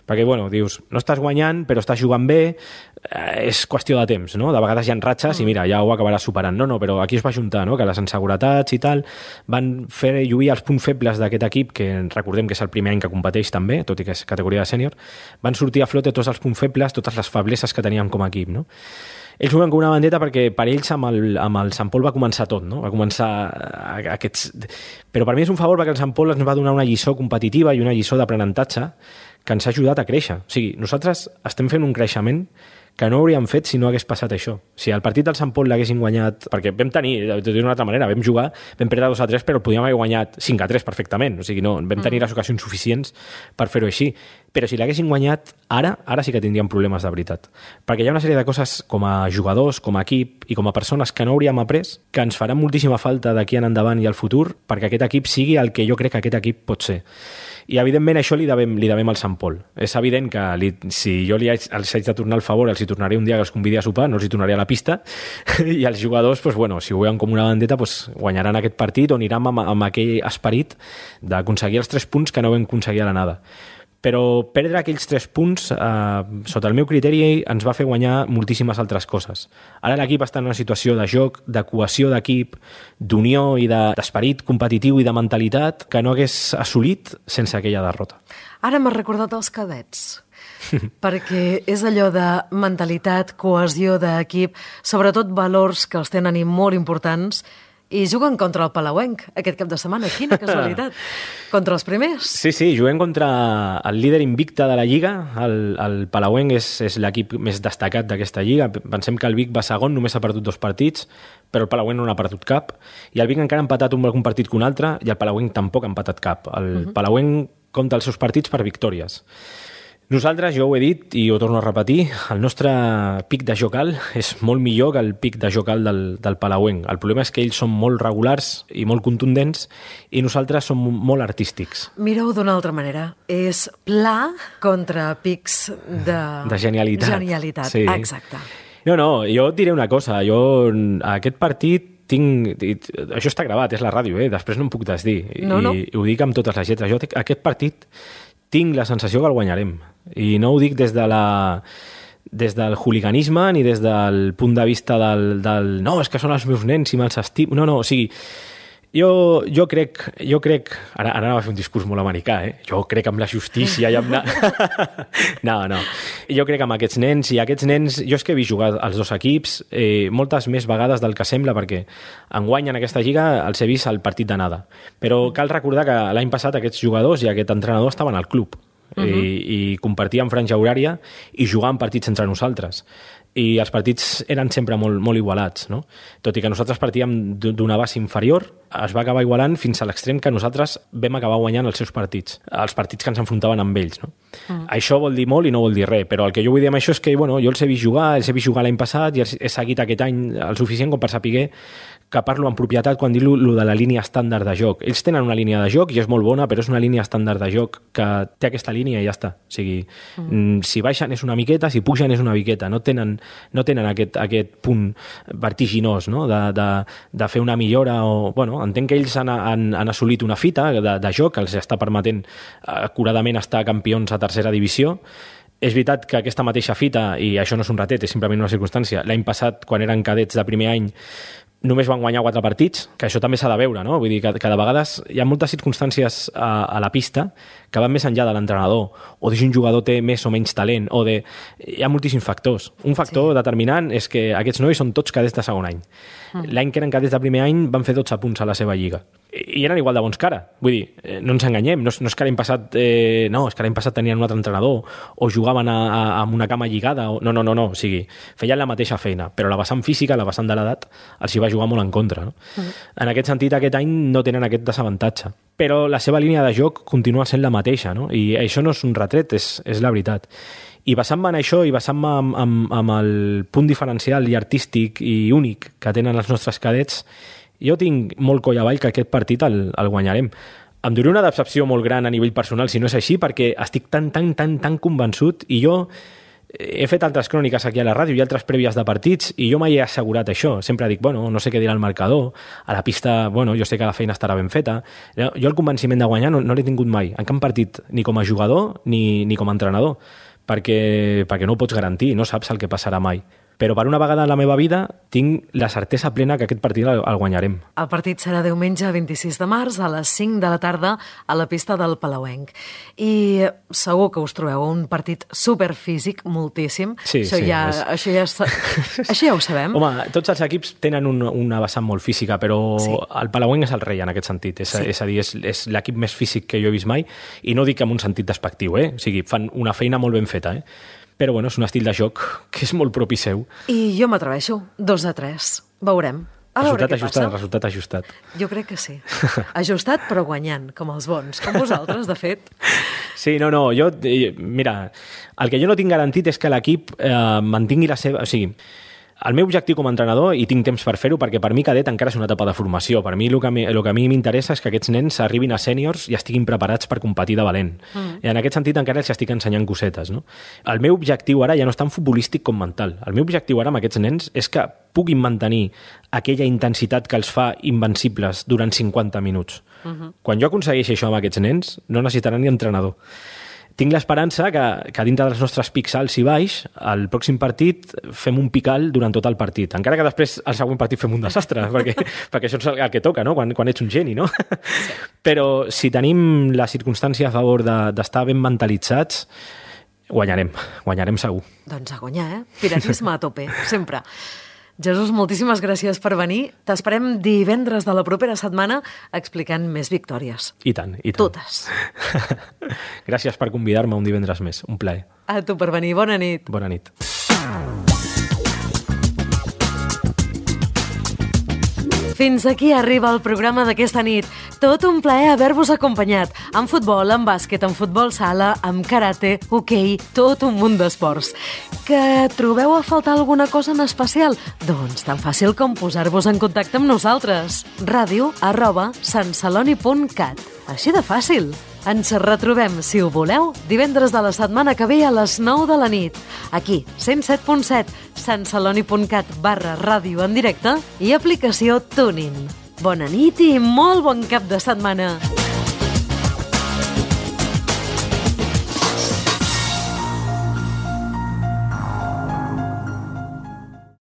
Perquè, dius, no estàs guanyant, però estàs jugant bé, és qüestió de temps, no? De vegades hi ha ratxes i mira, ja ho acabaràs superant. No, però aquí es va juntar, no?, que les inseguretats i tal van fer lluir els punts febles d'aquest equip, que recordem que és el primer any que competeix també, tot i que és categoria de sènior, van sortir a flote tots els punts febles, totes les febleses que teníem com a equip, no? Ells juguen com una vendetta perquè per ells amb el Sant Pol va començar tot, no? Va començar aquests... Però per mi és un favor perquè el Sant Pol ens va donar una lliçó competitiva i una lliçó d'aprenentatge que ens ha ajudat a créixer. O sigui, nosaltres estem fent un creixement que no hauríem fet si no hagués passat això. Si el partit del Sant Pol l'haguéssim guanyat... Perquè vam tenir, d'una altra manera, vam jugar, vam perdre 2-3, però el podíem haver guanyat 5-3 perfectament. O sigui, no, vam tenir les ocasions suficients per fer-ho així. Però si l'haguéssim guanyat ara sí que tindríem problemes de veritat. Perquè hi ha una sèrie de coses com a jugadors, com a equip i com a persones que no hauríem après, que ens faran moltíssima falta d'aquí en endavant i al futur perquè aquest equip sigui el que jo crec que aquest equip pot ser. I, evidentment, això li devem al Sant Pol. És evident que si jo els haig de tornar el favor, els hi tornaré un dia que els convidi a sopar, no els hi tornaré a la pista, i els jugadors, doncs, bueno, si ho veuen com una vendetta, doncs, guanyaran aquest partit o aniran amb aquell esperit d'aconseguir els 3 punts que no vam aconseguir a l'anada. Però perdre aquells 3 punts, sota el meu criteri, ens va fer guanyar moltíssimes altres coses. Ara l'equip està en una situació de joc, de cohesió d'equip, d'unió i d'esperit competitiu i de mentalitat que no hagués assolit sense aquella derrota. Ara m'has recordat els cadets, perquè és allò de mentalitat, cohesió d'equip, sobretot valors que els tenen i molt importants, i juguen contra el Palauenc aquest cap de setmana. Quina casualitat. Contra els primers. Sí, juguem contra el líder invicte de la Lliga. El Palauenc és l'equip més destacat d'aquesta Lliga. Pensem que el Vic va segon, només ha perdut 2 partits, però el Palauenc no n'ha perdut cap. I el Vic encara ha empatat algun partit que un altre, i el Palauenc tampoc ha empatat cap. El Palauenc compta els seus partits per victòries. Nosaltres, jo ho he dit i ho torno a repetir, el nostre pic de joc alt és molt millor que el pic de joc alt del Palauenc. El problema és que ells són molt regulars i molt contundents i nosaltres som molt artístics. Mireu d'una altra manera. És pla contra pics de genialitat. Sí. Exacte. No, jo et diré una cosa. Jo aquest partit això està gravat, és la ràdio, després no em puc desdir. No. I ho dic amb totes les lletres. Jo aquest partit tinc la sensació que el guanyarem. I no ho dic des del hooliganisme ni des del punt de vista del no, és que són els meus nens i me'ls estimo. No, o sigui, jo crec... Ara anava a fer un discurs molt americà, Jo crec en la justícia i amb... No. Jo crec en aquests nens, i aquests nens... Jo és que he vist jugar els 2 equips moltes més vegades del que sembla, perquè enguany en aquesta lliga els he vist al partit d'anada. Però cal recordar que l'any passat aquests jugadors i aquest entrenador estaven al club i compartíem franja horària i jugaven partits entre nosaltres. I els partits eren sempre molt, molt igualats, no? Tot i que nosaltres partíem d'una base inferior, es va acabar igualant fins a l'extrem que nosaltres vam acabar guanyant els seus partits, els partits que ens enfrontaven amb ells, no? Això vol dir molt i no vol dir res, però el que jo vull dir amb això és que, jo els he vist jugar l'any passat i he seguit aquest any el suficient com per saber que parlo amb propietat quan dic lo de la línia estàndard de joc. Ells tenen una línia de joc i és molt bona, però és una línia estàndard de joc que té aquesta línia i ja està. O sigui, si baixen és una miqueta, si pugen és una miqueta. No tenen aquest punt vertiginós, no? de fer una millora. Entenc que ells han assolit una fita de joc que els està permetent acuradament estar campions a tercera divisió. És veritat que aquesta mateixa fita, i això no és un ratet, és simplement una circumstància, l'any passat, quan eren cadets de primer any, només van guanyar 4 partits, que això també s'ha de veure, no? Vull dir que de vegades hi ha moltes circumstàncies a la pista que van més enllà de l'entrenador, o de si un jugador té més o menys talent, hi ha moltíssims factors. Un factor determinant és que aquests nois són tots cadets de segon any. L'any que eren cadets de primer any van fer 12 punts a la seva lliga. I eren igual de bons que ara. Vull dir, no ens enganyem, no és que l'any passat és que l'any passat tenien un altre entrenador o jugaven amb una cama lligada. No. O sigui, feien la mateixa feina, però la vessant física, la vessant de l'edat, els hi va jugar molt en contra. No? En aquest sentit, aquest any no tenen aquest desavantatge. Però la seva línia de joc continua sent la mateixa, no? I això no és un retret, és la veritat. I basant-me en això i basant-me amb el punt diferencial i artístic i únic que tenen els nostres cadets, jo tinc molt coll avall que aquest partit el guanyarem. Em duré una decepció molt gran a nivell personal si no és així, perquè estic tan convençut, i jo he fet altres cròniques aquí a la ràdio i altres prèvies de partits i jo mai he assegurat això. Sempre dic, no sé què dirà el marcador, a la pista, jo sé que la feina estarà ben feta. Jo el convenciment de guanyar no l'he tingut mai, en cap partit, ni com a jugador ni com a entrenador, perquè no ho pots garantir, no saps el que passarà mai. Però per una vegada en la meva vida tinc la certesa plena que aquest partit el guanyarem. El partit serà diumenge 26 de març a les 5 de la tarda a la pista del Palauenc. I segur que us trobeu un partit superfísic, moltíssim. Sí, això ja ho sabem. Home, tots els equips tenen una vessant molt física, però el Palauenc és el rei en aquest sentit. És a dir, és l'equip més físic que jo he vist mai, i no dic en un sentit despectiu, O sigui, fan una feina molt ben feta, Però és un estil de joc que és molt propi seu. I jo m'atreveixo, 2-3. Veurem. Resultat ajustat. Jo crec que sí. Ajustat però guanyant, com els bons. Com vosaltres, de fet. Sí, mira, el que jo no tinc garantit és que l'equip mantingui la seva... O sigui, El meu objectiu com a entrenador, i tinc temps per fer-ho, perquè per mi cadet encara és una etapa de formació. Per mi el que a mi m'interessa és que aquests nens arribin a sèniors i estiguin preparats per competir de valent. I en aquest sentit encara els estic ensenyant cosetes, no? El meu objectiu ara ja no és tan futbolístic com mental. El meu objectiu ara amb aquests nens és que puguin mantenir aquella intensitat que els fa invencibles durant 50 minuts. Quan jo aconsegueixi això amb aquests nens, no necessitaran ni entrenador. Tinc l'esperança que dintre dels nostres pics alts i baix, al pròxim partit fem un pic alt durant tot el partit. Encara que després al següent partit fem un desastre, perquè això és el que toca, no? Quan ets un geni, no? Però si tenim la circumstància a favor d'estar ben mentalitzats, guanyarem segur. Doncs a guanyar, Piratisme a tope, sempre. Jesús, moltíssimes gràcies per venir. T'esperem divendres de la propera setmana explicant més victòries. I tant. Totes. Gràcies per convidar-me un divendres més. Un plaer. A tu per venir. Bona nit. Bona nit. Fins aquí arriba el programa d'aquesta nit. Tot un plaer haver-vos acompanyat. En futbol, en bàsquet, en futbol sala, en karate, hoquei, tot un munt d'esports. Que trobeu a faltar alguna cosa en especial? Doncs tan fàcil com posar-vos en contacte amb nosaltres. radio@santceloni.cat. Així de fàcil. Ens retrobem, si ho voleu, divendres de la setmana que ve a les 9 de la nit. Aquí, 107.7, santceloni.cat/ràdio en directe i aplicació TuneIn. Bona nit i molt bon cap de setmana.